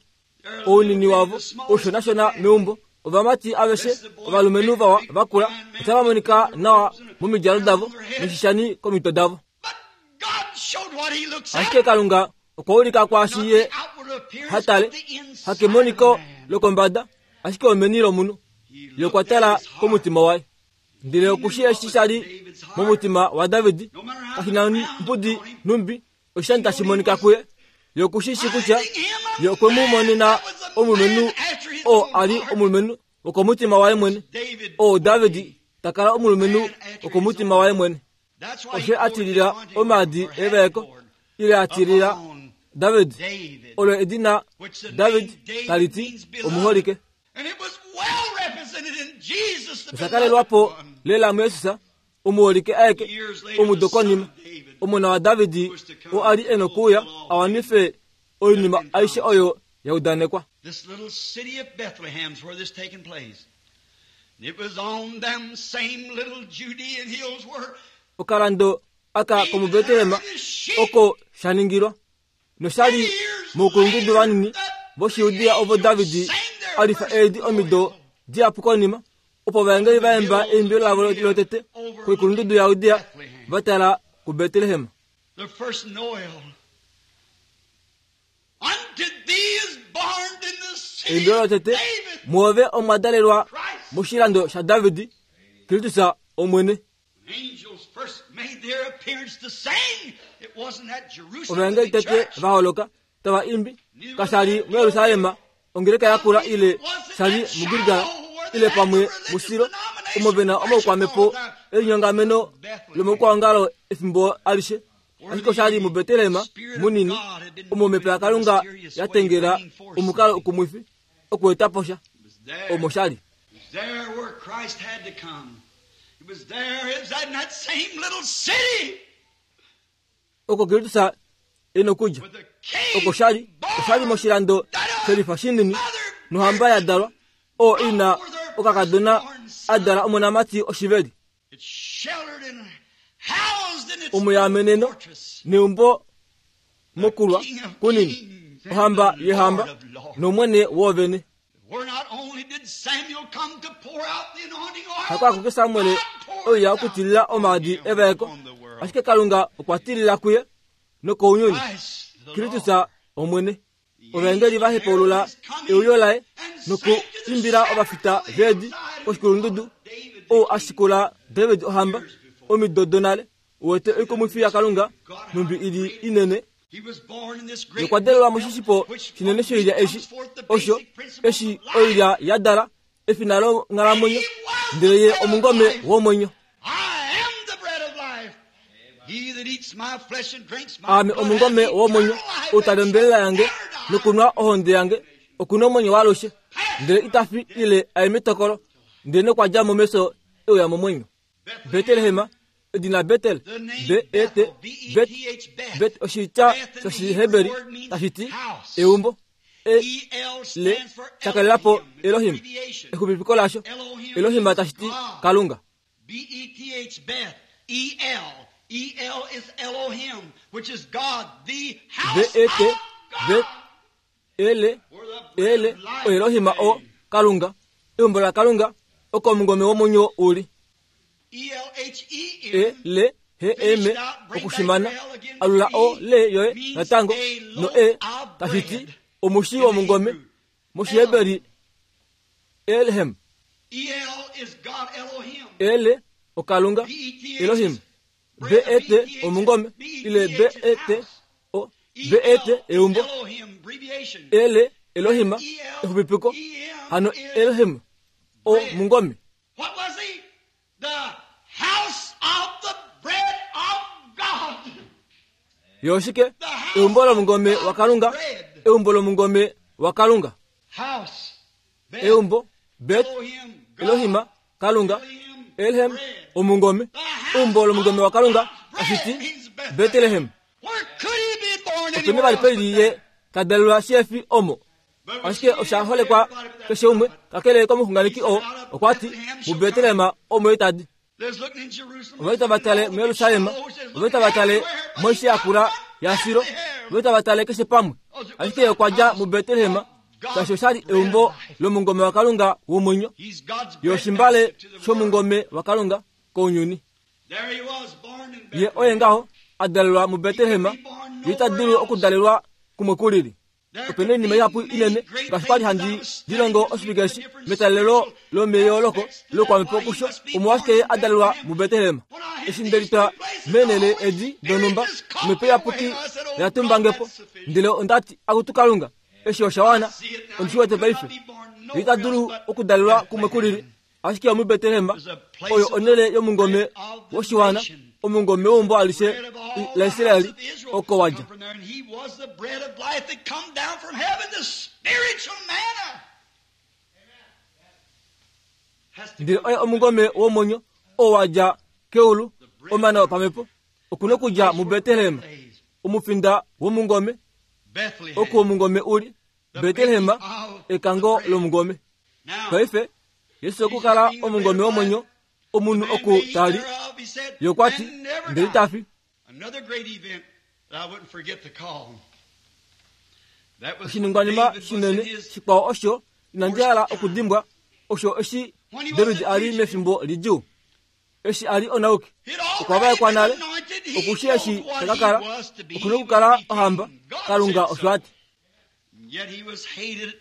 Ounini wavo oushonashona meumbo ovamati aveshe ovalumenhu vawa vakula otava monika nawa momidjalo davo noshishani komitwe davo. But God showed what he looks at. Ashike Kalunga okwa ulika kwaashi Not ye the outward appearance, ha tale but the inside hakemoniko of man. lokombada ashike omeni lomunhu. He Ye looked okwa at tala his heart. komutima waye. Ndele okushi eshi sha li momutima waDavid kashi na mbudi numbi oshishani tashi monika kuye. Ye okushi shi kutya ye okwe mu monena omulumenhu oo a li omulumenhu wokomutima waye mwene. David Oo David ta kala omulumenhu wokomutima waye mwene. That's why he Oshe a poured the tilila anointing omaadi or had evaeko poured ile a tilila upon David David, olo edina which the David name David tali ti means beloved. omuholike. And it was well represented in Jesus, the Osha kalelwapo beloved one. lela muJesus omuholike aeke Years later, the omudo son konima of David omona waDavid oo a li e nokuuya a wanife oinima aishe oyo ya udanekwa. This little city of Bethlehem's where this taken place. And it was on them same little Judean hills where Okalando aka David komuBetlehem herded his sheep. oko sha ningilwa nosha li moukulundudu vanini voshiudia ovo David a lifa eedi omido dihapu konima opo ovaengeli va emba eimbilo lavo lotete koikulundudu yaJudea va tala kuBetlehem. The first Noel. Unto thee is born in the city Eimbilo of lotete David muove omwa dalelwa Christ. moshilando shaDavid Kristus Omwene. Angels first made their appearance to sing. It wasn't at Jerusalem, the Ovaengeli big tete church. va holoka tava imbi kasha li muYerusalem ongeleka yakula ile sha li muGilgal ile pamwe muSilo omo ve na omaukwamepo elinyongameno lomaukwaongalo efimbo alishe. Ashike osha li muBetlehem munini omo omhepo yaKalunga ya tengela omukalo ukumwifi okueta po sha It was there. omo sha li. It was there where Christ had to come. It was there. It was in that same little city Oko Kristus e nokudja with the king oko sha li osha li born moshilando shelifa shinini nohamba ya dalwa oo ina okakadona a dala omonamati oshiveli It's sheltered and housed in its omuyameneno fortress. neumbo mokulwa King of kunini kings and ohamba the yehamba Lord of lords. nomwene woovene. Where not only did Samuel come to pour out the anointing oil, Hako akuke Samuel God poured oya it out okutilila on omaadi him evaeko on the world. ashike Kalunga okwa tilila kuye nokounyuni Christ the Kristus Lord. Omwene. Ovaengeli va hepaulula euyo laye nokuimbila ovafita veedi koshikulundudu ou a shikula David ohamba omido donale uwete oikumwifi yaKalunga nhumbi ili inene. He was born in this great Okwa dalelwa moshishipo which shinene shoilya comes eshi forth the osho basic principles eshi of life. oilya ya dala efina longhalamwenyo ndele ye omungome womwenyo. I am the bread of life. He that eats my flesh and drinks my Aame blood omungome hath womwenyo eternal life ou tali and ombelela shall yange never die. nokunwa ohonde yange okuna omwenyo waalushe ndele ita fi ile aye metokolo Ndele nokwa dja mo mefyo e uya momwenyo. Betlehem, edina Betel, B-E-T, Bet, Bet oshitya shOshiheberi tashi ti eumbo. E, le, sha kalela po Elohim, exupipiko lasho. Elohim tashi ti Kalunga. B-E-T-H, Beth, E-L. E-L is Elohim, which is God, the house B-E-T, of Bet, God. L, L, oElohim o Kalunga, eumbo laKalunga, oko omungome womwenyo u li. E-L-H-E-M. E, L, H, M, okushimana, alula O, L yoye natango, no E, tashi ti, omushi womungome, mOshiheberi, Elhem. E-L is God Elohim. L, oKalunga, B-E-T-H Elohim. is bread, B-E-T, B-E-T-H omungome, ile B-E-T-H is B-E-T, house. O, B-E-T, E-L is eumbo. Elohim, abbreviation. L, Elohim, exupipiko, hano Elohim, o mungome. What was he? The house of the bread of God. Ye oshike? Eumbo lomungome waKalunga, eumbo lomungome waKalunga. House. Beth, Eumbo, Bet, Elohim, God, Elohim, Kalunga, Elohim, Elhem, bread. omungome, eumbo lomungome waKalunga, tashi ti Betlehem. Where could he be born Openi anywhere vali else peli but ye there? ta dalelwa shihefi omo. But Ashike osha holekwa keshe umwe, kakele komuxunganeki oo, okwa ti, muBetlehem omo ye tadi. There's looking in Jerusalem. Ove tava tale muYerusalem, ove tava tale moishi yakula yaSilo, ove tava tale keshe pamwe. Ashike okwa dja muBetlehem, shaashi oshali eumbo lomungome waKalunga womwenyo, He's God's ye bread oshimbale basket to the world. shomungome waKalunga kounyuni. There he was, born in Ye Bethlehem. oye ngaho a dalelwa muBetlehem, ye ita dulu okudalelwa kumwe kulili. There Opena could oinima be ihapu many inene great ngaashi kwali things handi I was dilongo studying oshivike eshi the different metalelo spiritual lomeyooloko aspects to that. lokwamhepo Why he kusho must be omo ashike ye born a in dalelwa Bethlehem. muBetlehem. When I hit Eshi these nde litwa two places, meenhele the Holy edi Spirit donhumba just caught omhepo me iyapuki away. I said, "Oh oya God, tumbange po that's sufficient." ndele onda ti akutu Kalunga eshi osha wana See it now. ondi shi He wete could paife not be born Ye ita nowhere dulu else but okudalelwa kumwe Bethlehem. kulili ashike omuBetlehem There's a place oyo of onhele yomungome bread of the woshiwana nation. omungome weumbo alishe Bread of all the house laIsraeli of Israel oko wa dja. come from there, and he was the bread of life that come down from heaven, the spiritual manna. Has to Ndele come oye omungome womwenyo oo wa dja keulu omana wopamhepo okuna okudja muBetlehem omufinda womungome Bethlehem. oko omungome uli Betlehem ekango lomungome. Now, Paife Yesu okukala omungome womwenyo omunhu man oku may eat tali thereof, he said, ye okwa ti and never ndele die. ita fi. Another great event that I wouldn't forget to call. That was when Oshiningwanima David was in shinene his shikwao osho inandi hala okudimbwa osho eshi David a li mefimbo lidjuu eshi a li onauki He'd okwa already vaekwa been nale anointed. He okushi eshi knows what taka he kala was to be. okuna He would okukala be king. ohamba God Kalunga said osho so. a ti. Yet he was hated.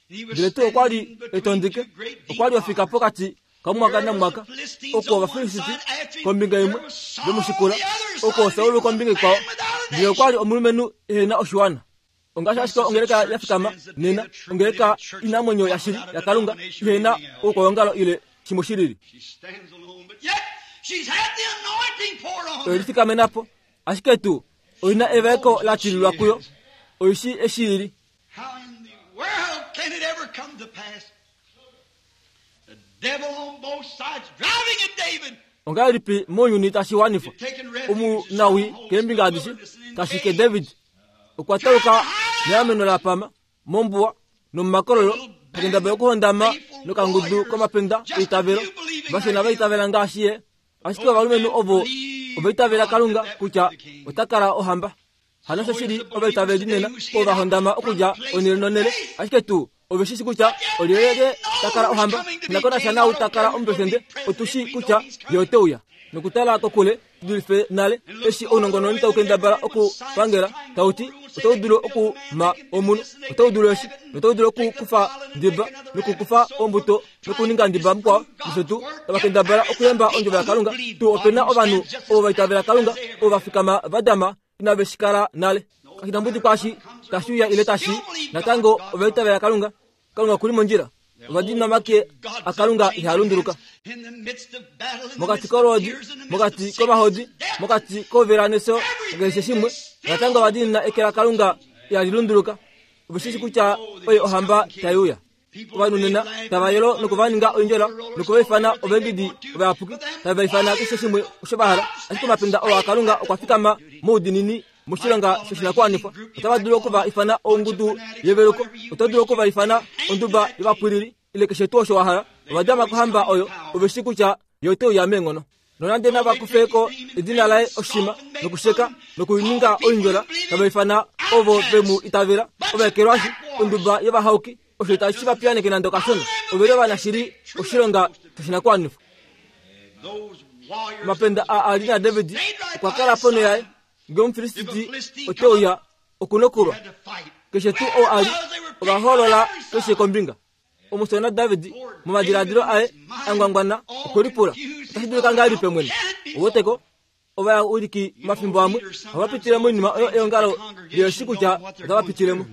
He was Ndele tuu okwa li standing between etondike two great deep okwa li ofika rocks. pokati kamwaka Here was namwaka the Philistines oko on one Ovafilisiti side after him. kombinga There imwe was Saul vemushikula on the other oko side. Saul He was a kombinga ikwao man without a ndele okwa li nation. omulumenhu ehena oshiwana. Ongaashi ashike ongeleka ya fikama nena ongeleka inamwenyo yashili yaKalunga ihena oukwaongalo ile shimwe shilili. She stands alone, but yet she's had the anointing poured on Oye her. lifikamena po ashike tuu oina evaeko la tililwa kuyo oishi eshi ili. How in the world can it ever come to pass? The devil on both sides driving at David. Ongahelipi mounyuni tashi wanifwa He'd taken refuge in omunawi strongholds in the keembinga adishe wilderness and in tashike caves. David okwa tauka neameno la pama mombuwa nomumakololo pakendaba yokuhondama nokangudu komapenda eitavelo vashona vaitavela ngaashi ye ashike ovalumenhu ovo ovaitavela Kalunga kutya ota kala ohamba. Hano oshoshili ovaitaveli nena ovo va hondama okudja onhele nonhele ashike tuu ove shi shi kutya olyelye ta kala ohamba nakonasha naau ta kala omupresidente otu shi kutya ye ote uya nokutala kokule dulife nale eshi ounongononi tau kendabala okupangela tau ti otau dulu okuma omunhu otau dulu eshi notau dulu okukufa ndiba nokukufa ombuto nokuninga ndiba mukwao nosho tuu tava kendabala okuyemba ondjovo yaKalunga tuu opena ovanhu ovo vaitavela Kalunga ovo va fikama va dama inave shi kala nale kashi na mbudi kwaashi tashi uya ile tashi natango ovaitavela Kalunga Kalunga okuli mondjila ovadiinwa make aKalunga ihaa lunduluka In the midst of battle, in the mokati midst of kolwoodi tears, in the midst mokati of sickness komahodi and death, mokati kovela nefyo ngaashi shimwe natango ovadiinina eke laKalunga ihali lunduluka ove shi shi kutya oye ohamba tai uya. Ovanhu nena tava yolo noku va ninga oindjola noku va ifana ovaengedi ovayapuki, tave va ifana keshe shimwe osho va hala. Ashike omapenda oo aKalunga okwa fikama moudiinini moshilonga shoshinakuwanifwa. Otava dulu oku va ifana ongudu yeveluko, oto dulu oku va ifana onduba yovapwilili, ile keshe tuu osho wa hala. Ova dama kohamba oyo, ove shii kutya ye ote uya meenghono. Nonande nava kufe ko edina laye oshima nokusheka nokuninga oindjola, tava ifana ovo ve mu itavela ovaekelwashi, onduba yovahauki, osho itashi va piyaneke nande okashona. Ove li ovanashili oshilonga shoshinakuwanifwa. Omapenda aa a li naDavid okwa kala ponho yaye. Ngee Omufilisti ote uya, oku nokulwa. Keshe tuu ou a li, ova hoolola keshe kombinga. Omusona David momadiladilo aye a ngwangwana okwe lipula, Otashi dulika ngahelipi Omwene? Ou wete ko? Ovawiliki omafimbo amwe ohava pitile moinima oyo eongalo li shii kutya otava pitile mo.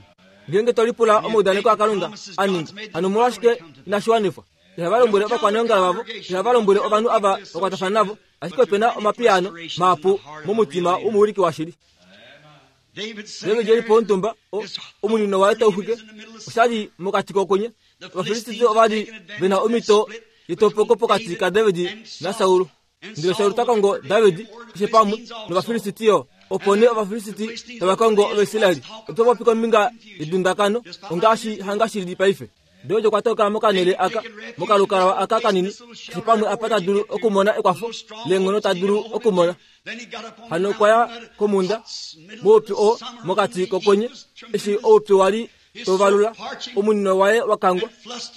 Ngeenge to lipula omaudaneko aKalunga a ninga, hano omolwashike inashi wanifwa? Ihava lombwele ovakwaneongalo vavo, ihava lombwele ovanhu ava va kwatafana navo, ashike ope na omapiyaano mahapu momutima womuwiliki washili. David e li pomutumba, omunino waye tau xwike, osha li mokati kokwenye. Ovafilisti ova li ve na omhito yetopoko pokati kaDavid naSaul. Ndele Saul ta kongo David keshe pamwe nOvafilisti yo. Opo nee Ovafilisti tava kongo Ovaisraeli. Oto popi kombinga yedundakano, ongaashi hanga shi li paife. David okwa toka mokanhele aka, mokalukalwa aka kanini, keshe pamwe apa ta dulu okumona ekwafo leenghono ta dulu okumona. Hano okwa ya komhunda moupyu oo mokati kokwenye, eshi oupyu wa li tau valula, omunino waye wa kangwa,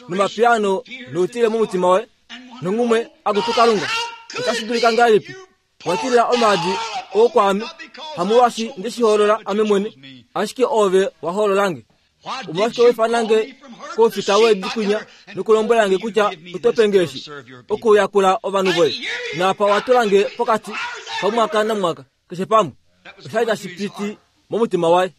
nomapiyaano noutile momutima waye, nonghumwe akutu Kalunga, otashi dulika ngahelipi wa tilila omaadi oo kwaame? Hamolwaashi nde shi hoolola ame mwene, ashike oove wa hoolola nge. Omolwashike wa ifana nge koufita weedi kwinya nokulombwela nge kutya oto pe nge eshi okuyakula ovanhu voye? Naapa owa tula nge pokati kamwaka namwaka, keshe pamwe. Osha li tashi piti momutima waye.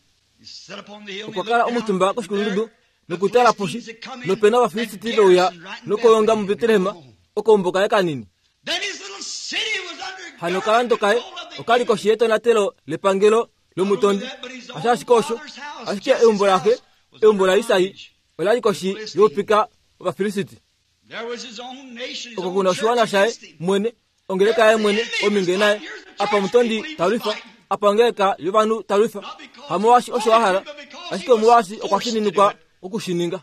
Okwa kala omutumba koshikulundudu nokutala poshi, nope na Ovafilisti ve uya nokulonga muBetlehem okaumbo kaye kanini. Hano okalando kaye oka li koshi yetonatelo lepangelo lomutondi. Hasho ashike osho, ashike eumbo laxe, eumbo laIsai, ola li koshi youpika wOvafilisti. Oko ku na oshiwana shaye mwene, ongeleka yaye mwene, ominge naye. Apa omutondi ta lwifa, apa ongeleka yovanhu ta lwifa. Hamolwaashi osho a hala, ashike omolwaashi okwa fininikwa oku shi ninga.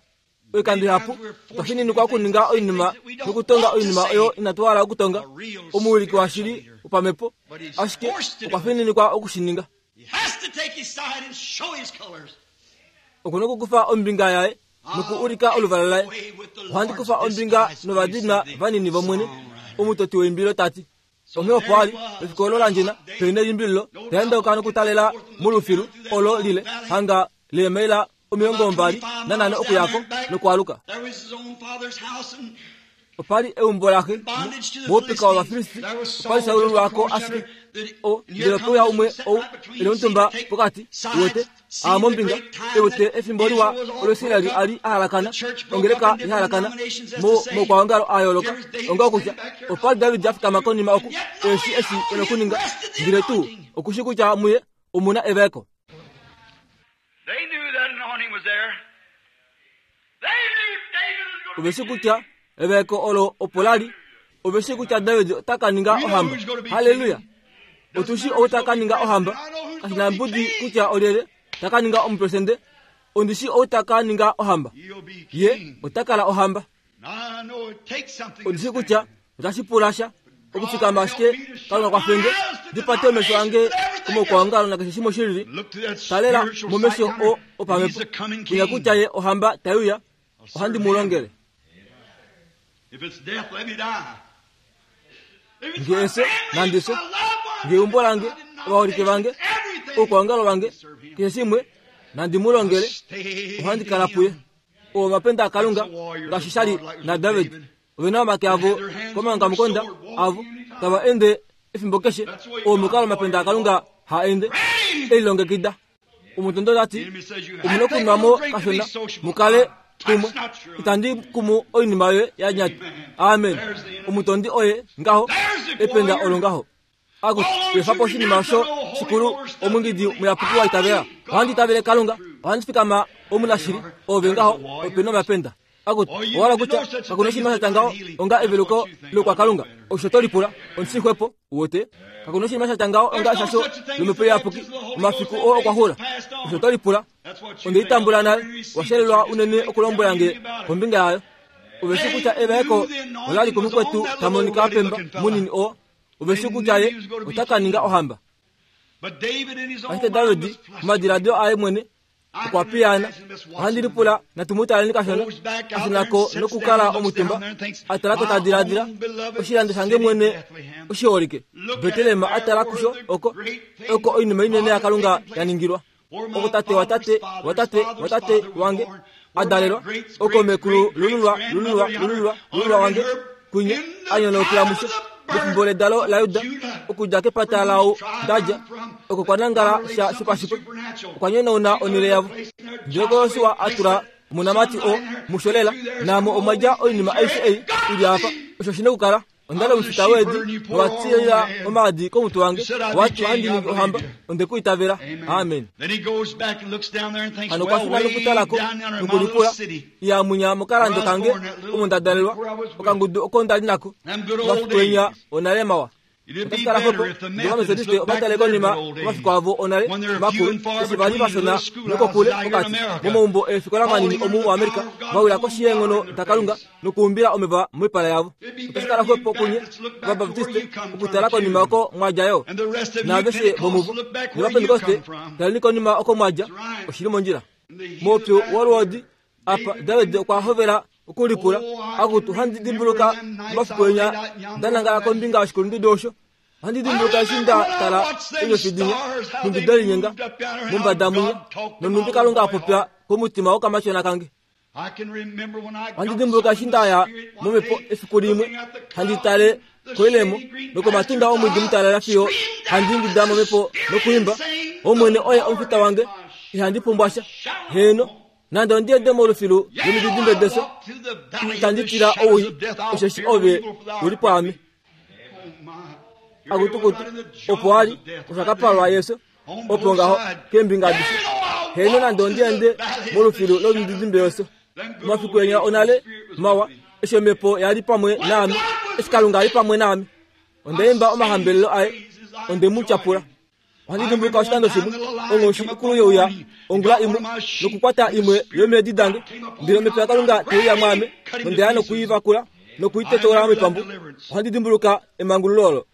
Oikando ihapu otwa fininikwa okuninga oinima nokutonga oinima oyo inatu hala okutonga. Omuwiliki washili wopamhepo, ashike okwa fininikwa oku shi ninga. Oku na okukufa ombinga yaye noku ulika oluvala laye. Ohandi kufa ombinga novadinwa vanini vOmwene, omutoti weimbilo ta ti. Onghee opo a li, efiku olo la ndjena, pe nelimbililo, ta endauka nokutalela molufilu olo lile, hanga leemaila 25 okuya ko nokwaaluka. Opa li eumbo laxe moupika wOvafilisti, opa li Saul lwako ashike. O, ndele ope uya umwe ou e li omutumba pokati, uwete, a mombinga, e wete efimbo liwa olo Israel a li a halakana, ongeleka ya halakana, mo, moukwaongalo a yooloka, onga kutya opa li David a fikama konima oku, eshi eshi e nokuninga, ndele tuu oku shi kutya muye omu na evaeko. Ove shi kutya evaeko olo opo la li. Ove shi kutya David ota ka ninga ohamba. Halleluya! Otu shi ou ta ka ninga ohamba. Kashi na mbudi kutya olyelye ta ka ninga omupresidente. Ondi shi ou ta ka ninga ohamba. Ye ota kala ohamba. Ondi shi kutya otashi pula sha okufikama ashike Kalunga kwafenge ndi pate omesho ange komaukwaongalo nakeshe shimwe shilili. Talela momesho o opamhepo kunya kutya ye ohamba tai uya. Ohandi mu longele. Nge efyo, nandi fye. Nge eumbo lange, ovaholike vange, oukwaongalo vange, keshe shimwe, nandi mu longele. Ohandi kala puye. Oo omapenda aKalunga, ngaashi sha li naDavid. Ove na omake avo komaongamukonda avo, tava ende efimbo keshe. Oo omukalo omapenda aKalunga ha ende, e lilongekida. Omutondi ota ti, Omu na okunwa mo kashona, mu kale kumwe. Itandi kumu oinima yoye ya nyata. Amen. Omutondi oye ngaho, ependa olo ngaho. Akutu, efa po oshinima osho shikulu, omwingidi muyapuki wa itavela. Ohandi itavele Kalunga, ohandi fikama omunashili, ove ngaho, ope na omapenda. Akutu, owa hala kutya kaku na oshinima sha tya ngaho onga eveluko lokwakalunga? Osho to lipula. Omushixwepo, uwete. Kaku na oshinima sha tya ngaho onga eshasho lOmhepo Iyapuki, omafiku oo okwa xula. Osho to lipula. Onde i tambula nale, wa shelelwa unene okulombwela nge kombinga yayo. Ove shi kutya evaeko ola li komukwetu ta monika a pemba munini oo. Ove shi kutya ye ota ka ninga ohamba. Ashike David, momadiladilo aye mwene, okwa piyaana. Ohandi lipula natu mu taleni kashona, a shuna ko nokukala omutumba, a tala ko ta diladila, Oshilando shange mwene oshiholike, Betlehem, a tala kusho oko, oko oinima inene yaKalunga ya ningilwa. Oko tate watate watate watate wange a dalelwa, oko mekulu lululwa lululwa lululwa lululwa wange kwinya a nyonaukila musho mefimbo ledalo laJuda, okudja kepata laau nda dja, oko kwa nangala sha shopashitwe, okwa nyonauna onhele yavo. Ndele oko Josua a tula omonamati oo musho lela, naamo omwa dja oinima aishe ei i li apa. Osho shi na okukala. Onda li omufita weedi, nowa tilila omaadi komutwe wange, wa ti ohandi ningi ohamba. Onde ku itavela. Amen. Hano okwa shuna nokutala ko, nokulipula, Iya munya mokalando kange omo nda dalelwa, okangudu oko nda li nako, omafiku enya onale mawa. Otashi kala xwepo ngee Ovametodiste ova tale konima komafiku avo onale makulu, eshi va li vashona nokokule pokati momaumbo eefikola manini omu muAmerica, va wila koshi yeenghono daKalunga nokuumbila omeva moipala yavo. Otashi kala xwepo kunye Ovabaptiste okutala konima oko mwa dja yo, naaveshe vomuvo. NOvapentekoste, taleni konima oko mwa dja. Oshi li mondjila. Moupyu wolwoodi apa, David okwa hovela okulipula, Akutu, ohandi dimbuluka omafiku enya nda nangala kombinga yoshikulundudu osho. Ohandi dimbuluka eshi nda tala eenyofi dinya, nhumbi de linyenga mombada mwinya, nonhumbi Kalunga a popya komutima wokamatyona kange. Ohandi dimbuluka eshi nda ya momhepo efiku limwe, handi tale koilemo nokomatunda omwiidi mutalala fiyo handi ingida momhepo nokwiimba, Omwene oye omufita wange, ihandi pumbwa sha. Heeno, nande ondi ende molufilu lomididimbe defyo, itandi tila owii, osheshi ove u li pwaame. Akutukutu, opo a li, osha ka palwa yefyo, opo ngaho, keembinga adishe. Heeno, nande ondi ende molufilu lomididimbe yefyo. Omafiku enya onale mawa, eshi omhepo ya li pamwe naame, eshi Kalunga a li pamwe naame. Onda imba omahambelelo aye, onde mu tyapula. Ohandi dimbuluka oshikando shimwe, onghoshi ikulu ye uya ongula imwe nokukwata imwe yomeedi dange, ndele omhepo yaKalunga te uya mwaame, nonde ya noku i vakula noku i tetoula moipambu. Ohandi dimbuluka emangululo olo.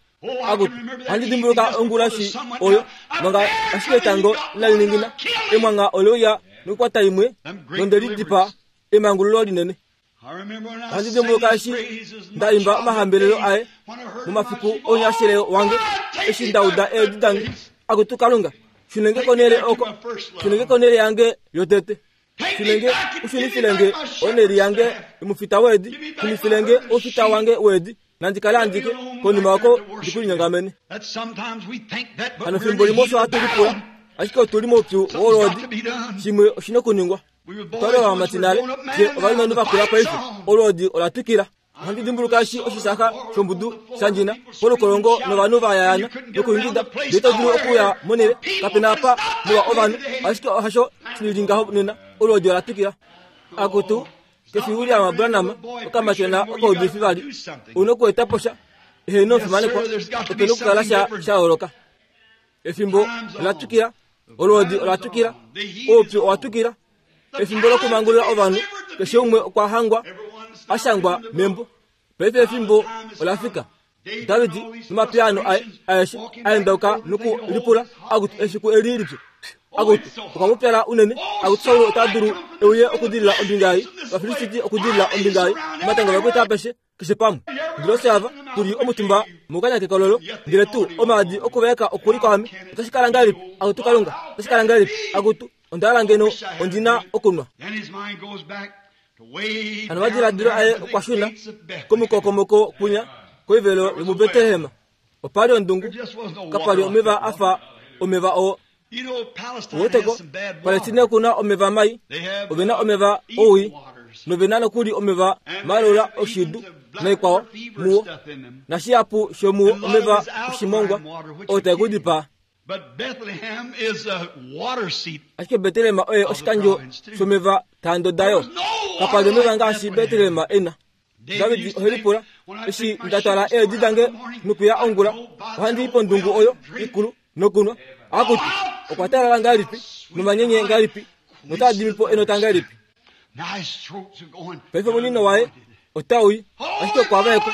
Akutu, ohandi dimbuluka ongulashi oyo, manga ashike etango inali ningina, emwangha ole uya nokukwata imwe, nonde li dipaa, emangululo linene. Ohandi dimbuluka eshi nda imba omahambelelo aye momafiku ounyashele wange, eshi nda uda eedi dange, Akutu Kalunga, shune nge konhele oko, shune nge konhele yange yotete. Shune nge, u shunifile nge onhele yange yomufita weedi, shunifile nge oufita wange weedi, nandi kale andike konima oko ndi ku linyongamene. Hano fimbo limwe osho hatu lipula, ashike otu li moupyu wolwoodi, shimwe oshi na okuningwa. Otwa li ovamati nale, fye ovalumenhu va kula paife. Olwoodi ola twikila. Ohandi dimbuluka eshi oshisaha shombudu sha ndjina polukolongo novanhu va yayaana nokuingida, ndele ito dulu okuya monhele, kape na apa molwa ovanhu. Ashike hasho shi li ngaho nena. Olwoodi ola twikila. Akutu, kefi William Branham, okamatyona okaudifi vali. Ou na okueta po sha. Heeno, omufimanekwa, ope na okukala sha sha yooloka. Efimbo ola twikila, olwoodi ola twikila, oupyu owa twikila. Efimbo lokumangulula ovanhu, keshe umwe okwa hangwa a shangwa membo. Paife efimbo ola fika. David nomapiyaano aye aeshe a endauka noku lipula, Akutu, efiku eli lipyu! Akutu, okwa pupyala unene. Akutu, Saul ota dulu e uye okudilila ombinga ei, Ovafilisti okudilila ombinga ei, omatanga ovakwaita apeshe keshe pamwe. Ndele ofye ava tu li omutumba mokanya kekololo, ndele tuu omaadi okuvaeka oku li kwaame. Otashi kala ngahelipi, akutu Kalunga? Otashi kala ngahelipi, akutu? Onda hala ngeno ondi na okunwa. Hano omadiladilo aye okwa shuna komukokomoko kwinya koivelo yomuBetlehem. Opa li ondungu, kapa li omeva a fa omeva oo. Uweteko, Palestina oku na omeva mai, ove na omeva owii, nove na nokuli omeva malola oshidu naikwao muwo, nashihapu shomuwo omeva oshimongwa oo tae ku dipaa. Ashike Betlehem oye oshikandjo shomeva taa ndoda yo. Kapa li omeva ngaashi Betlehem e na. David ohe lipula, Eshi nda twala eedi dange nokuya ongula, ohandi i pondungu oyo ikulu nokunwa? Akutu, okwa talala ngahelipi, nomanyenye ngahelipi, notaa dimi po enota ngahelipi! Paife omunino waye otau i, ashike okwa vaekwa.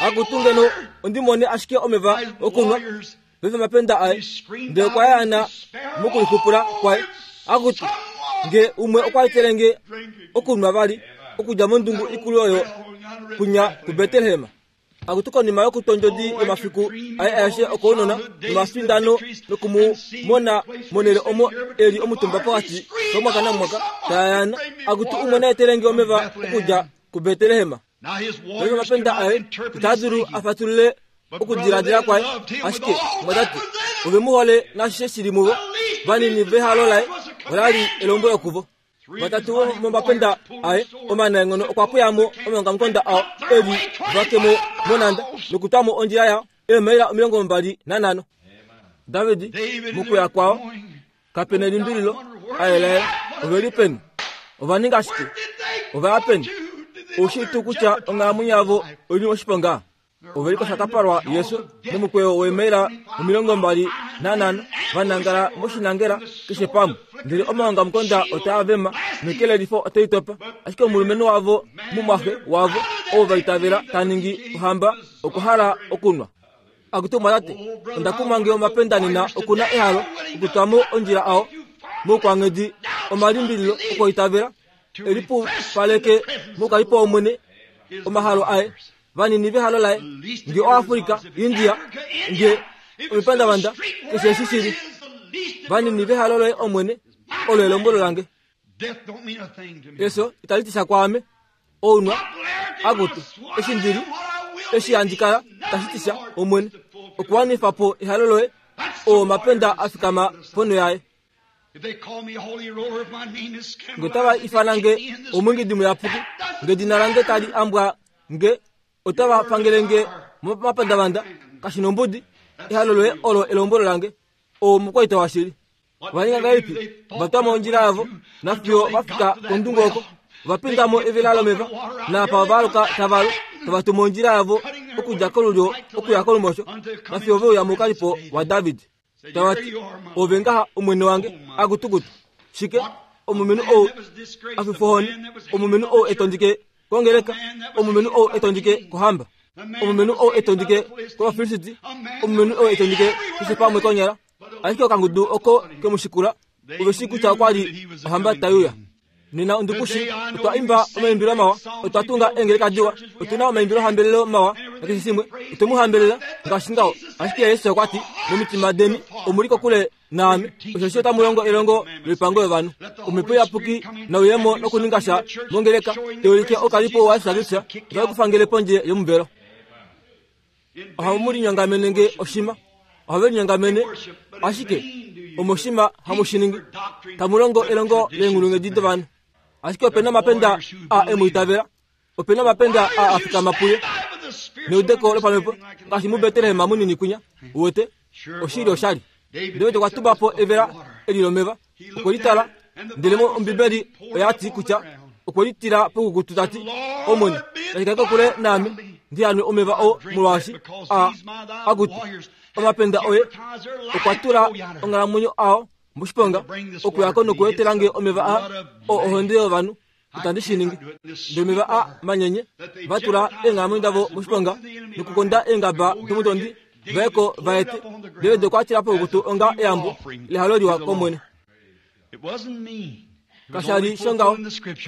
Akutu, ngeno ondi mone ashike omeva okunwa! Paife omapenda aye, ndele okwa yaana mokulixupula kwaye. Akutu, nge umwe okwa etele nge okunwa vali okudja mondungu ikulu oyo kunya kuBetlehem. Akutu konima yokutondjodi yomafiku aye aeshe okounona nomafindano noku mu mona monhele omo e li omutumba pokati komwaka namwaka ta yaana, akutu umwe na etele nge omeva okudja kuBetlehem. Paife omapenda aye itaa dulu a fatulule okudiladila kwaye, ashike omwatate ove mu hole naashishe shi li muvo. Vanini vehalo laye ola li elombwelo kuvo. Vatatu vomomapenda aye omanaenghono okwa pweya mo omaongamukonda ao e li vake mo monhanda nokutwa mo ondjila yao eemaila 25. David mokuya kwao Kape na elimbililo, a yelaela. Ove li peni? Ova ninga shike? Ova ya peni? Ou shii tuu kutya onghalamwenyo yavo oi li moshiponga? Ove li koshakapalwa yesu momukweyo weemaila 25 va nangala moshinangela keshe pamwe. Ndele omaongamukonda otaa vema nekelelifo otai topa. Ashike omulumenhu wavo, mumwaxe wavo, ou va itavela ta ningi ohamba, okwa hala okunwa. Akutu omwatate, onda kumwa nge omapenda nena oku na ehalo okutwa mo ondjila ao moukwanghedi omalimbililo okwoitavela e lipupaleke moukalipo wOmwene omahalo aye vanini vehalo laye nge oAfrika, India, nge omipandavanda keshe eshi shi li vanini vehalo loye Omwene olo elombwelo lange. Efyo itali ti sha kwaame. Ounwa, akutu, eshi ndi li, eshi handi kala, tashi ti sha, Omwene, okuwanifa po ehalo loye, oo omapenda a fikama ponho yaye. Nge otava ifana nge omwiingidi muyapuki, nge edina lange tali ambwa nge, otava pangele nge momapandavanda, kashi nombudi, ehalo loye olo elombwelo lange. Oo omukwaita washili. Ova ninga ngahelipi? Ova twa mo ondjila yavo nafiyo va fika kondungu oko. Ova pinda mo evela lomeva, naapa ova aluka tava lu, tava tumu ondjila yavo okudja kolulyo okuya kolumosho, nafiyo ve uya moukalipo waDavid. Tava ti, Ove ngaha omwene wange, akutukutu. Shike? Omulumenhu ou a fifwa ohoni, omulumenhu ou e tondike kongeleka, omulumenhu ou e tondike kohamba, omulumenhu ou e tondike kOvafilisti, omulumenhu ou e tondike keshe pamwe konyala. Ashike okangudu oko ke mu shikula ove shii kutya okwa li ohamba tai uya. Nena ondukushi, otwa imba omaimbilo mawa, otwa tunga eengeleka diwa, otu na omaimbilohambelelo mawa nakeshe shimwe, otwe mu hambelela ngaashi ngaho. Ashike Jesus okwa ti, Momitima deni omu li kokule naame, osheshi otamu longo elongo loipango yovanhu. Omhepo Iyapuki nau ye mo nokuninga sha mongeleka, tai ulike oukalipo waJesus Kristus, otave ku fangele pondje yomuvelo. Ohamu mu linyongamene nge oshima, ohave linyongamene ashike omoshima hamu shi ningi, tamu longo elongo leenghulunghedi dovanhu. Ashike ope na omapenda a e mu itavela, ope na omapenda a a fikama puye neudeko lopamhepo, ngaashi muBetlehem munini kwinya. Uwete, oshili oshali. David okwa tuba po evela eli lomeva, okwe li tala, ndele Ombibeli oya ti kutya okwe li tila poukukutu ta ti, Omwene, tashi kala kokule naame ndi hanwe omeva oo, molwaashi a akutu omapenda oye okwa tula onghalamwenyo ao moshiponga okuya ko nokuetela nge omeva a oo ohonde yovanhu itandi shi ningi. Ndele omeva a manyenye va tula eenghalamwenyo davo moshiponga nokukonda eengaba domutondi va ye ko va ete. David okwa tila poukutu onga eyambo lehalo liwa kOmwene. Kasha li shongaho,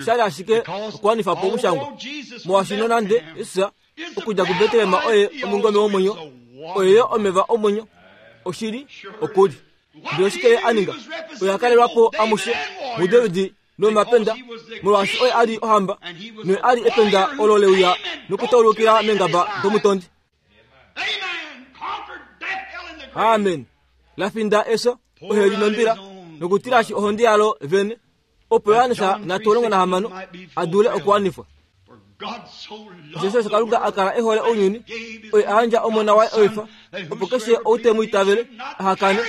osha li ashike okuwanifa po omushangwa. Molwaashi nonande Jesus okudja kuBetlehem oye omungome womwenyo, oye yo omeva omwenyo, oshili oku li. Ndele oshike ye a ninga? Oye a kalelwa po amushe muDavid nomapenda, molwaashi oye a li ohamba noye a li ependa olo le uya nokutaulukila meengaba domutondi. Amen. La finda efyo, oheli nombila, nokutilashi ohonde yalo vene, opo Johannes natu 16 a dule okuwanifwa. Osheshi osho Kalunga a kala e hole ounyuni, oye a yandja Omona waye oifa, opo keshe ou te mu itavele aha kane,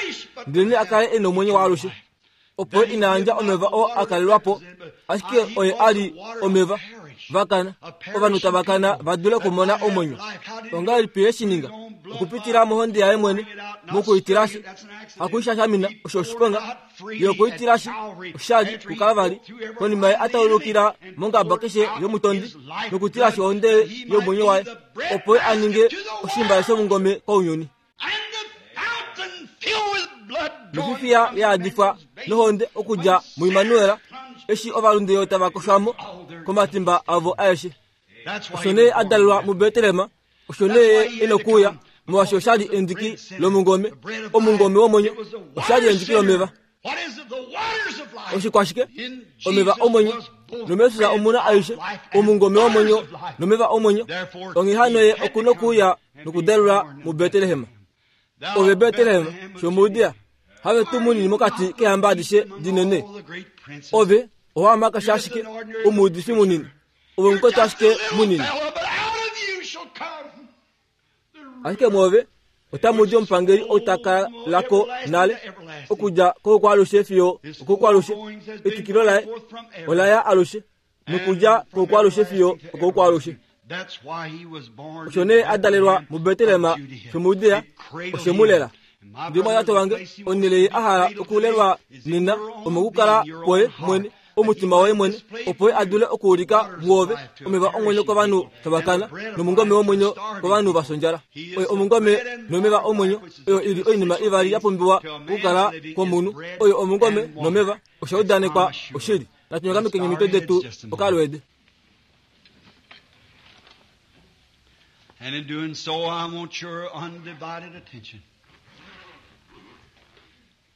ndelenee a kale e nomwenyo waalushe. Opo ye ina yandja omeva oo a kalelwa po, ashike oye a li omeva. Va kana, ovanhu tava kana va dule okumona omwenyo. Ongahelipi ye shi ninga? Okupitila mohonde yaye mwene, mokuitilashi, hakuishashamina, osho oshiponga. Ye okwa itilashi oshali kuKalvari, konima ye a taulukila mongaba keshe yomutondi, nokutilashi ohonde yomwenyo waye, opo ye a ninge oshimbale shomungome kounyuni. Nofifiya ya yadifwa nohonde okudja muImmanuel, eshi ovalunde tava koshwa mo komatimba avo aeshe. Osho nee a dalelwa muBetlehem, osho nee ye e nokuuya, molwaashi osha li endiki lomungome, omungome womwenyo, osha li endiki lomeva. Oshikwashike? Omeva omwenyo. NomuJesus omu na aishe, omungome womwenyo nomeva omwenyo. Onghee hano ye oku nokuuya nokudalelwa muBetlehem. Ove Betlehem shomuJudea, have tuu munini mokati keehamba adishe dinene. Ove owa amakasha ashike omuudifi munini. Ove omukwetu ashike munini. Ashike mwoove otamu di omupangeli ou ta kala ko nale, okudja koukwalushe fiyo okoukwalushe. Etwikilo laye ola ya alushe, nokudja koukwalushe fiyo okoukwalushe. Osho nee a dalelwa muBetlehem shomuJudea, oshe mu lela. Ndele omwatate wange, onhele ye a hala okulelwa nena omokukala kwoye mwene, omutima woye mwene, opo ye a dule okuulika mwoove omeva omwenyo kovanhu tava kana, nomungome womwenyo kovanhu va fya Oye omungome nomeva omwenyo, oyo i li oinima ivali ya pumbiwa okukala kwomunhu. Oyo omungome nomeva, osha udanekwa oshili. Natu nyokamekeni omitwe detu okalweede. And in doing so, I want your undivided attention.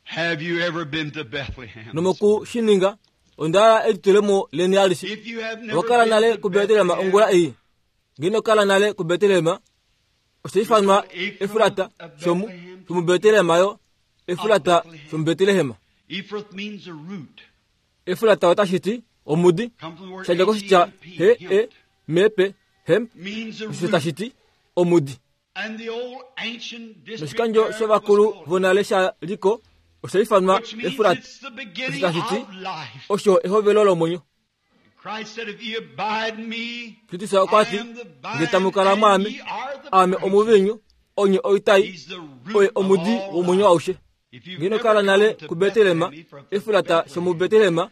Have you ever been to Bethlehem? Nomoku shi ninga, onda hala elitulemo leni alishe. If you have never Owa kala been nale to kuBetlehem Bethlehem, ongula ei. Ngee ino kala nale kuBetlehem, osha ifanwa Efurata shomu shomuBetlehem yo Efurata shomuBetlehem. Ephrath means a root. Efurata otashi ti omudi, Come from the word sha dja koshitya H-E-M-P, he e m p hemp, means a osho root. tashi ti omudi. And the old ancient district Noshikandjo there shovakulu was called, vonale sha li ko osha ifanwa which means Efurata, it's the beginning osho tashi ti of life. osho ehovelo lomwenyo. Christ said, if ye abide in me, Kristus okwa ti, I am the vine, nge tamu kala and mwaame, ye are the aame branches. omuvinyu, onye oitai, He's the root oye of omudi all womwenyo life. aushe. If you've Ngeno never kala nale come to kuBetlehem, Bethlehem, Ephrath, Efurata Bethlehem, shomuBetlehem,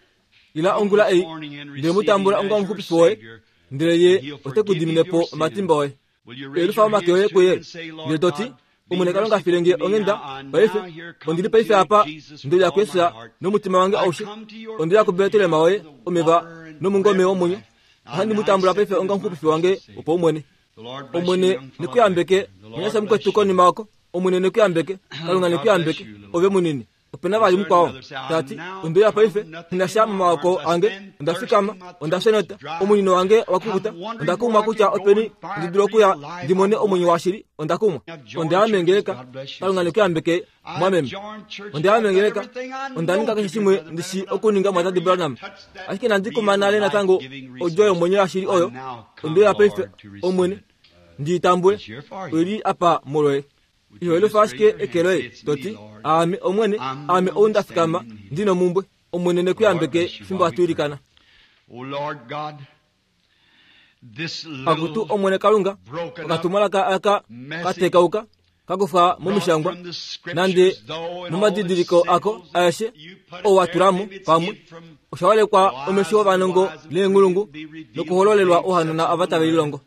ila ongula ei, morning and ndele receive mu tambula him onga as your omuxupifi woye, Savior, ndele ye and he'll ote ku forgive you dimine your po sins. omatimba oye. Will you raise Elufa your omake hands oye to kuye, him and say, Lord ndele to ti, God, be Omwene Kalunga merciful file nge to me onghenda, now. I paife, now here come ondili paife to apa, Jesus ndele with all my yaKristus heart. nomutima wange I aushe. come to your Onde ya kuBetlehem Bethlehem woye, with the omeva water and nomungome bread of womwenyo. life. I Ohandi mu now tambula accept paife him onga as my omuxupifi wange personal Savior. wopaumwene. The Lord bless you, Omwene young fellow ne ku yambeke, there. The Lord munyasha bless mukwetu you. konima oko. Omwene ne ku yambeke, Kalunga ne ku God bless yambeke, you, little ove munini. Ope na vali mukwao, ta ti, onde uya paife, nghi sha momaoko ange, onda fikama, onda fya enota, omunino wange owa kukuta, onda kumwa kutya openi ndi dulu okuya ndi mone omwenyo washili, onda kumwa. Onda ya mengeleka, Kalunga ne ku yambeke, mwameme. Onda ya mengeleka, onda ninga keshe shimwe ndi shi okuninga mwatate Branham. Ashike inandi kuma nale natango odjo yomwenyo yashili oyo, onde uya paife, Omwene, ndi i tambule, oi li apa molwoye. Iho elufa ashike eke loye, to ti, Aame Omwene, aame ou nda fikama, ndi nomumbwe. Omwene ne ku yambeke fimbo hatu ilikana. O Lord God, this Akutu little Omwene Kalunga, broken up okatumwalaka aka katekauka kakufa brought momishangwa from the nande scriptures, though, and all its momadidiliko ako symbols, aeshe you put it oo wa there, tulamo maybe it's pamwe hid from osha holekwa the omesho eyes of the ovanongo wise and leenghulungu prudent be revealed to nokuhololelwa babes ohanona such ava as tave the lilongo.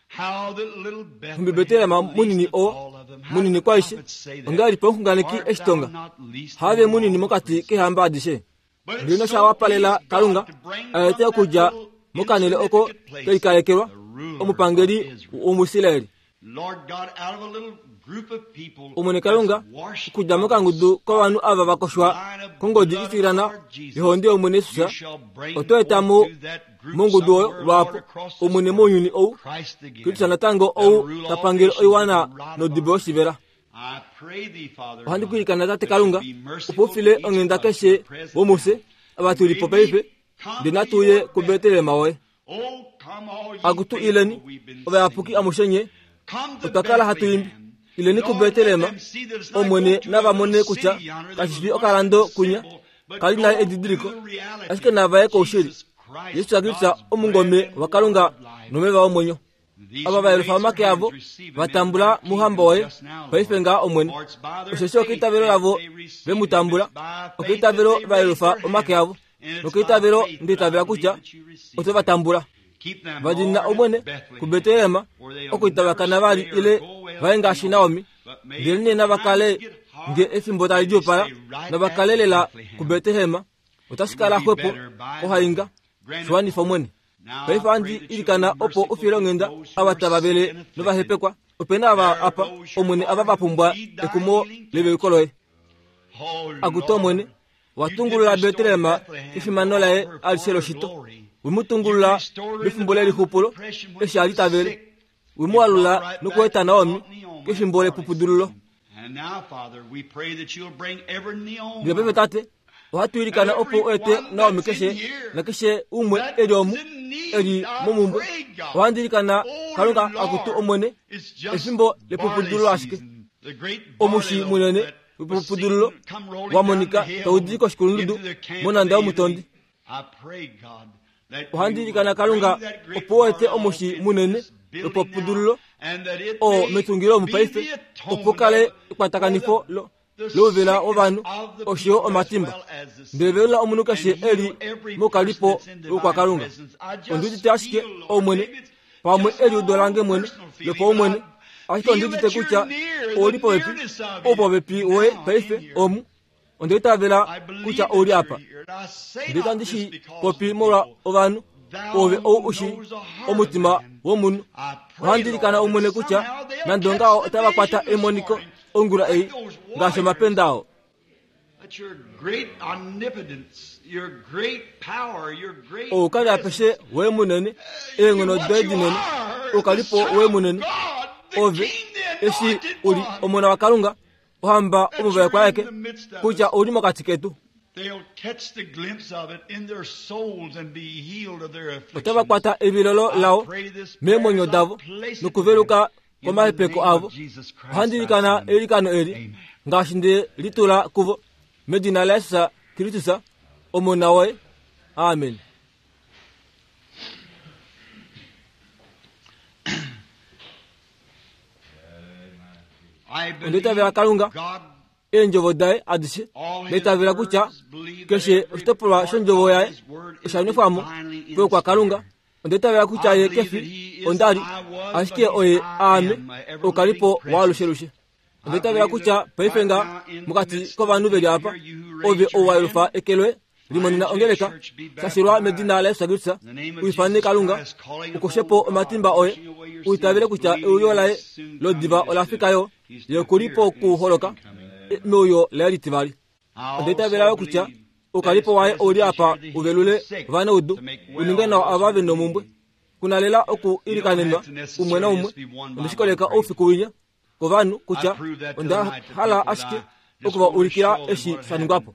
How that little Bethlehem, Nhumbi Betlehem least munini of oo all of them, how munini did the kwaishe prophets say that? ongahelipi omuxunganeki Art eshi tonga thou not least have among munini all the mokati princes? keehamba adishe. But Ndele it's nosha so wapalela pleased God Kalunga to bring a ete from that okudja little mokanhele oko insignificant place kelikalekelwa the ruler of omupangeli Israel. womuIsraeli. Lord God, out of a little group of people Omwene Kalunga that's washed okudja by mokangudu the kovanhu ava va koshwa line of kongodi blood of itilana Lord Jesus, yohonde yOmwene you Jesus, shall bring oto eta mo forth to that group mongudu oyo somewhere, Lord, lwapo across this Omwene world, mounyuni ou Christ again, Kristus natango that'll ou rule ta all pangele nations with oiwana a rod of nodibo iron. yoshivela. I pray thee, Father Ohandi God, kwiilikana Tate that you Kalunga be opo u merciful to file each of onghenda us keshe who are present womufye now. ava tu li po May we paife, come ndele to natu uye your kuBetlehem woye. Oh, come all ye Akutu faithful, ileni we've been ovayapuki singing. amushe nye Come to otwa kala hatu imbi Bethlehem. ileni Lord, let kuBetlehem them see that it's not Omwene go to a nava mone little kutya city yonder that kashi was fi once okalando a kunya symbol, Kali na edidiliko, ashike nava ye koushili. Jesus Kristus omungome waKalunga nomeva omwenyo. Ava va yelufa omake avo va tambula mouhamba woye paife ngaa Omwene. Osheshi okeitavelo lavo ve mu tambula, okeitavelo va yelufa omake avo, nokeitavelo nda itavela kutya oto va tambula. Va dina Omwene kuBetlehem, oko itava kana vali ile vaye ngaashi Naomi, ndelenee nava kale nge efimbo tali djuupala, nava kale lela kuBetlehem, otashi kala xwepo kohainga. Shi wanifa Omwene. Paife ohandi ilikana opo u file onghenda ava tava vele novahepekwa. Ope na ava apa, Omwene, ava va pumbwa ekumo leveluko loye. Akutu Omwene, wa tungulula Betlehem kefimano laye alishe loshito. We mu tungulula mefimbo lelixupulo eshi a li ta vele. We mu alula nokueta Naomi kefimbo lepupudululo. Ndele paife Tate, ohatu ilikana opo u ete Naomi keshe nakeshe umwe e li omu, e li momumbwe. Ohandi ilikana Kalunga akutu Omwene, efimbo lepupudululo ashike. Omushi munene wepupudululo wa monika tau di koshikulundudu monhanda yomutondi. Ohandi ilikana Kalunga opo u ete omushi munene wepupudululo oo metungilo omu paife, opo kale ekwatakanifo lo louvela wovanhu osho yo omatimba. Ndele velula omunhu keshe e li moukalipo woukwakalunga. Ondi udite ashike, Omwene, pamwe eliudo lange mwene lopaumwene, ashike ondi udite kutya ou li popepi, oupopepi woye paife omu. Onda itavela kutya ou li apa. Ndele itandi shi popi molwa ovanhu, ove ou u shii omutima womunhu. Ohandi ilikana Omwene kutya nande ongaho otava kwata emoniko ongula ei ngaashi omapenda ao. Oukali apeshe woye munene, eenghono doye dinene, oukalipo woye munene, ove eshi u li Omona waKalunga, Ohamba omuvaekwa aeke, kutya ou li mokati ketu. Otava kwata evilolo lao meemwenyo davo nokuveluka komahepeko avo. Ohandi ilikana eilikano eli ngaashi nde li tula kuvo, medina laJesus Kristus, Omona woye. Amen. Onda itavela Kalunga, eendjovo daye adishe. Nda itavela kutya keshe oshitopolwa shondjovo yaye osha nwefwa mo kwaKalunga. Onda itavela kutya ye ke fi onda li, ashike oye aame, oukalipo waalushelushe. Onda itavela kutya paife nga mokati kovanhu ve li apa, ove ou wa yelufa eke loye, limonena ongeleka, shashilwa medina laJesus Kristus, u ifane Kalunga, u koshe po omatimba oye, u itavele kutya euyo laye lodiva ola fika yo, ye oku li pokuholoka meuyo laye litivali. Onda itavela yo kutya oukalipo waye ou li apa u velule ovanaudu, u ninge nawa ava ve nomumbwe. Ku na lela oku ilikanenwa umwe naumwe. Onde shi koleka oufiku winya kovanhu kutya onda hala ashike oku va ulikila eshi sha ningwa po.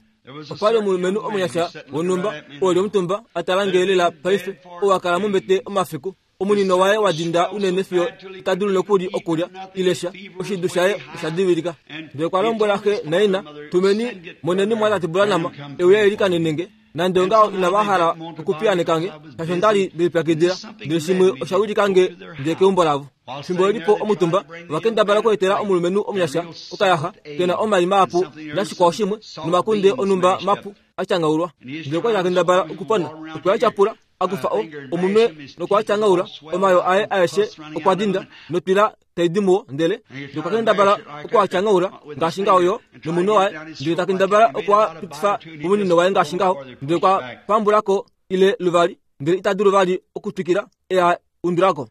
Opa li omulumenhu omunyasha wonhumba oo e li omutumba a tala nge lela paife, oo a kala mombete omafiku. Omunino waye wa dinda unene fiyo ita dulu nokuli okulya ile sha. Oshidu shaye osha divilika. Ndele okwa lombwela xe naina, Tumeni, moneni mwatate Branham e uye e likanene nge. Nande ongaho inava hala okupiyaaneka nge, shaashi onda li nde lipyakidila. Ndele shimwe osha wilika nge ndi ye keumbo lavo. Fimbo ve li po omutumba, ova kendabala okweetela omulumenhu omunyasha okayaxa ke na omai mahapu nashikwao shimwe, nomakunde onhumba mapu a tyangaulwa. Ndele okwa li ta kendabala okupona. Okwe a tyapula, a kufa o, omunwe nokwa tyangaula omayoo aye aeshe okwa dinda, notwila tai di muwo, ndele okwa kendabala oku a tyangaula ngaashi ngaho yo nomunwe waye, ndele ta kendabala oku a pitifa momunino waye ngaashi ngaho, ndele okwa pambula ko ile luvali, ndele ita dulu vali okutwikila e a undula ko.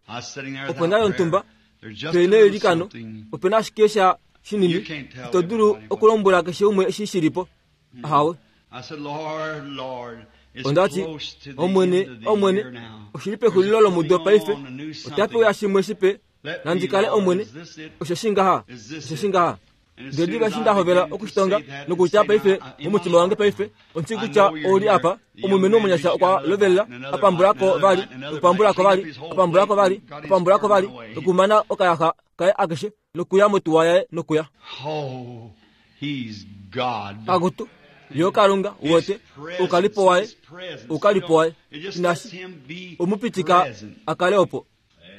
Opo nda li omutumba pe neilikano, ope na ashike sha shinini, ito dulu okulombwela keshe umwe eshi shi li po. Ahawe. Onda ti, Omwene, Omwene, oshi li pexulilo lomudo paife, otape uya shimwe shipe, nandi kale Omwene, osheshi ngaha, osheshi ngaha. Ndele diva eshi nda hovela okushitonga nokutya paife momutima wange paife, ondi shii kutya ou li apa, omulumenhu omunyasha okwa lovelela, a pambula ko vali, nokupambula ko vali, a pambula ko vali, a pambula ko vali, nokumana okayaxa kaye akeshe, nokuya motuwa yaye nokuya. Oh, he's God. Akutu, Yo Kalunga, uwete, oukalipo waye, oukalipo waye. Inashi omupitika a kale opo.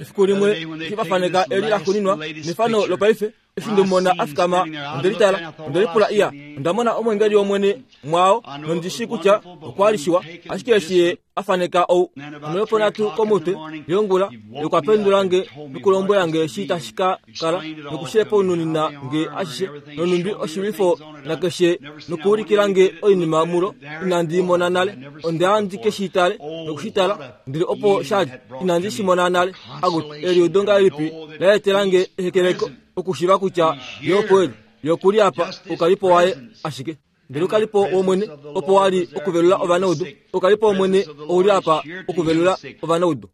Efiku limwe eshi va faneka eli la xuninwa nefano lopaife, eshi nde mu mona a fikama, onde litala, onde lipula iya, onda mona omweengeli wOmwene mwaao, nondi shii kutya okwa li shiwa, ashike eshi ye a faneka ou noyoponhatu komutwe yongula, ye okwa pendula nge nokulombwela nge eshi tashi ka kala, nokushepaununina nge ashishe, nonhumbi oshilwifo nakeshe, nokuulikila nge oinima mulo inandi i mona nale. Onda ya ndi ke shi tale noku shi tala, ndele opo sha li, inandi shi mona nale. Akutu, eliudo ngahelipi la etela nge ehekeleko okushiiva kutya Ye opo e li! Ye oku li apa, oukalipo waye ashike. Ndele oukalipo wOmwene opo wa li okuvelula ovanaudu. Oukalipo wOmwene ou li apa okuvelula ovanaudu.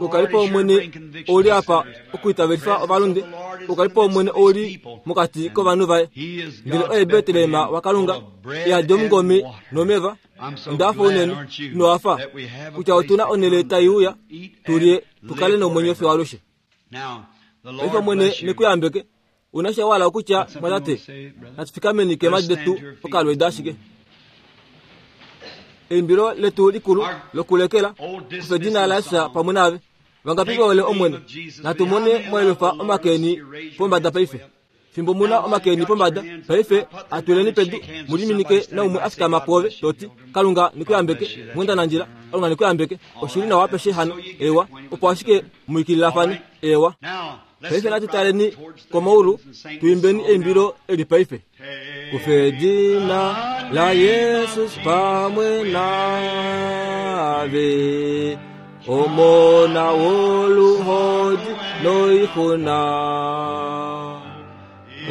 Oukalipo wOmwene ou li apa okuitavelifa ovalunde. Oukalipo wOmwene ou li mokati kovanhu vaye. Ndele oye Betlehem waKalunga, e yadi omungome nomeva. Onda hafa unene, ino hafa, kutya otu na onhele tai uya tu lye tu kale nomwenyo fiyo alushe. Paife Omwene ne ku yambeke. Una sha wala okutya, mwatate, natu fikameni keemhadi detu okalweeda ashike. Eimbilo letu likulu lokulekela, Kufa edina laJesus pamwe naave. Vangapi ve hole Omwene? Natu mone mwa yelufa omake eni pombada paife. Fimbo mu na omake eni pombada, paife atuleni pedu, mu liminike naumwe a fikama pwoove, to ti, Kalunga ne ku yambeke, mwendanandjila. Kalunga ne ku yambeke. Oshi li nawa apeshe hano. Eewa. Opo ashike mu ikililafane. Eewa. Paife natu taleni komaulu, tu imbeni eimbilo eli paife. Kufa edina laJesus pamwe naave, Omona woluhodi noixuna.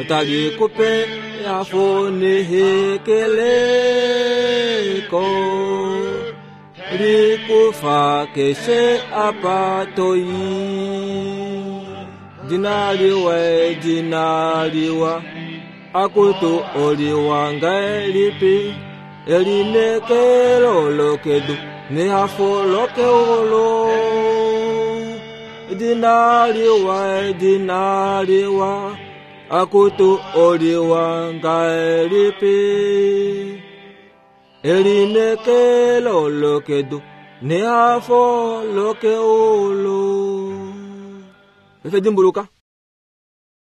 Otali ku pe ehafo nehekeleko, likufa keshe apa to i. Dina liwa, edina liwa, akutu oliwa ngahelipi, elineekelo lokedu nehafo lokeulu. Edina liwa, edina liwa, akutu oliwa ngahelipi, Elineekelo lokedu nehafo lokeulu. Paife dimbuluka.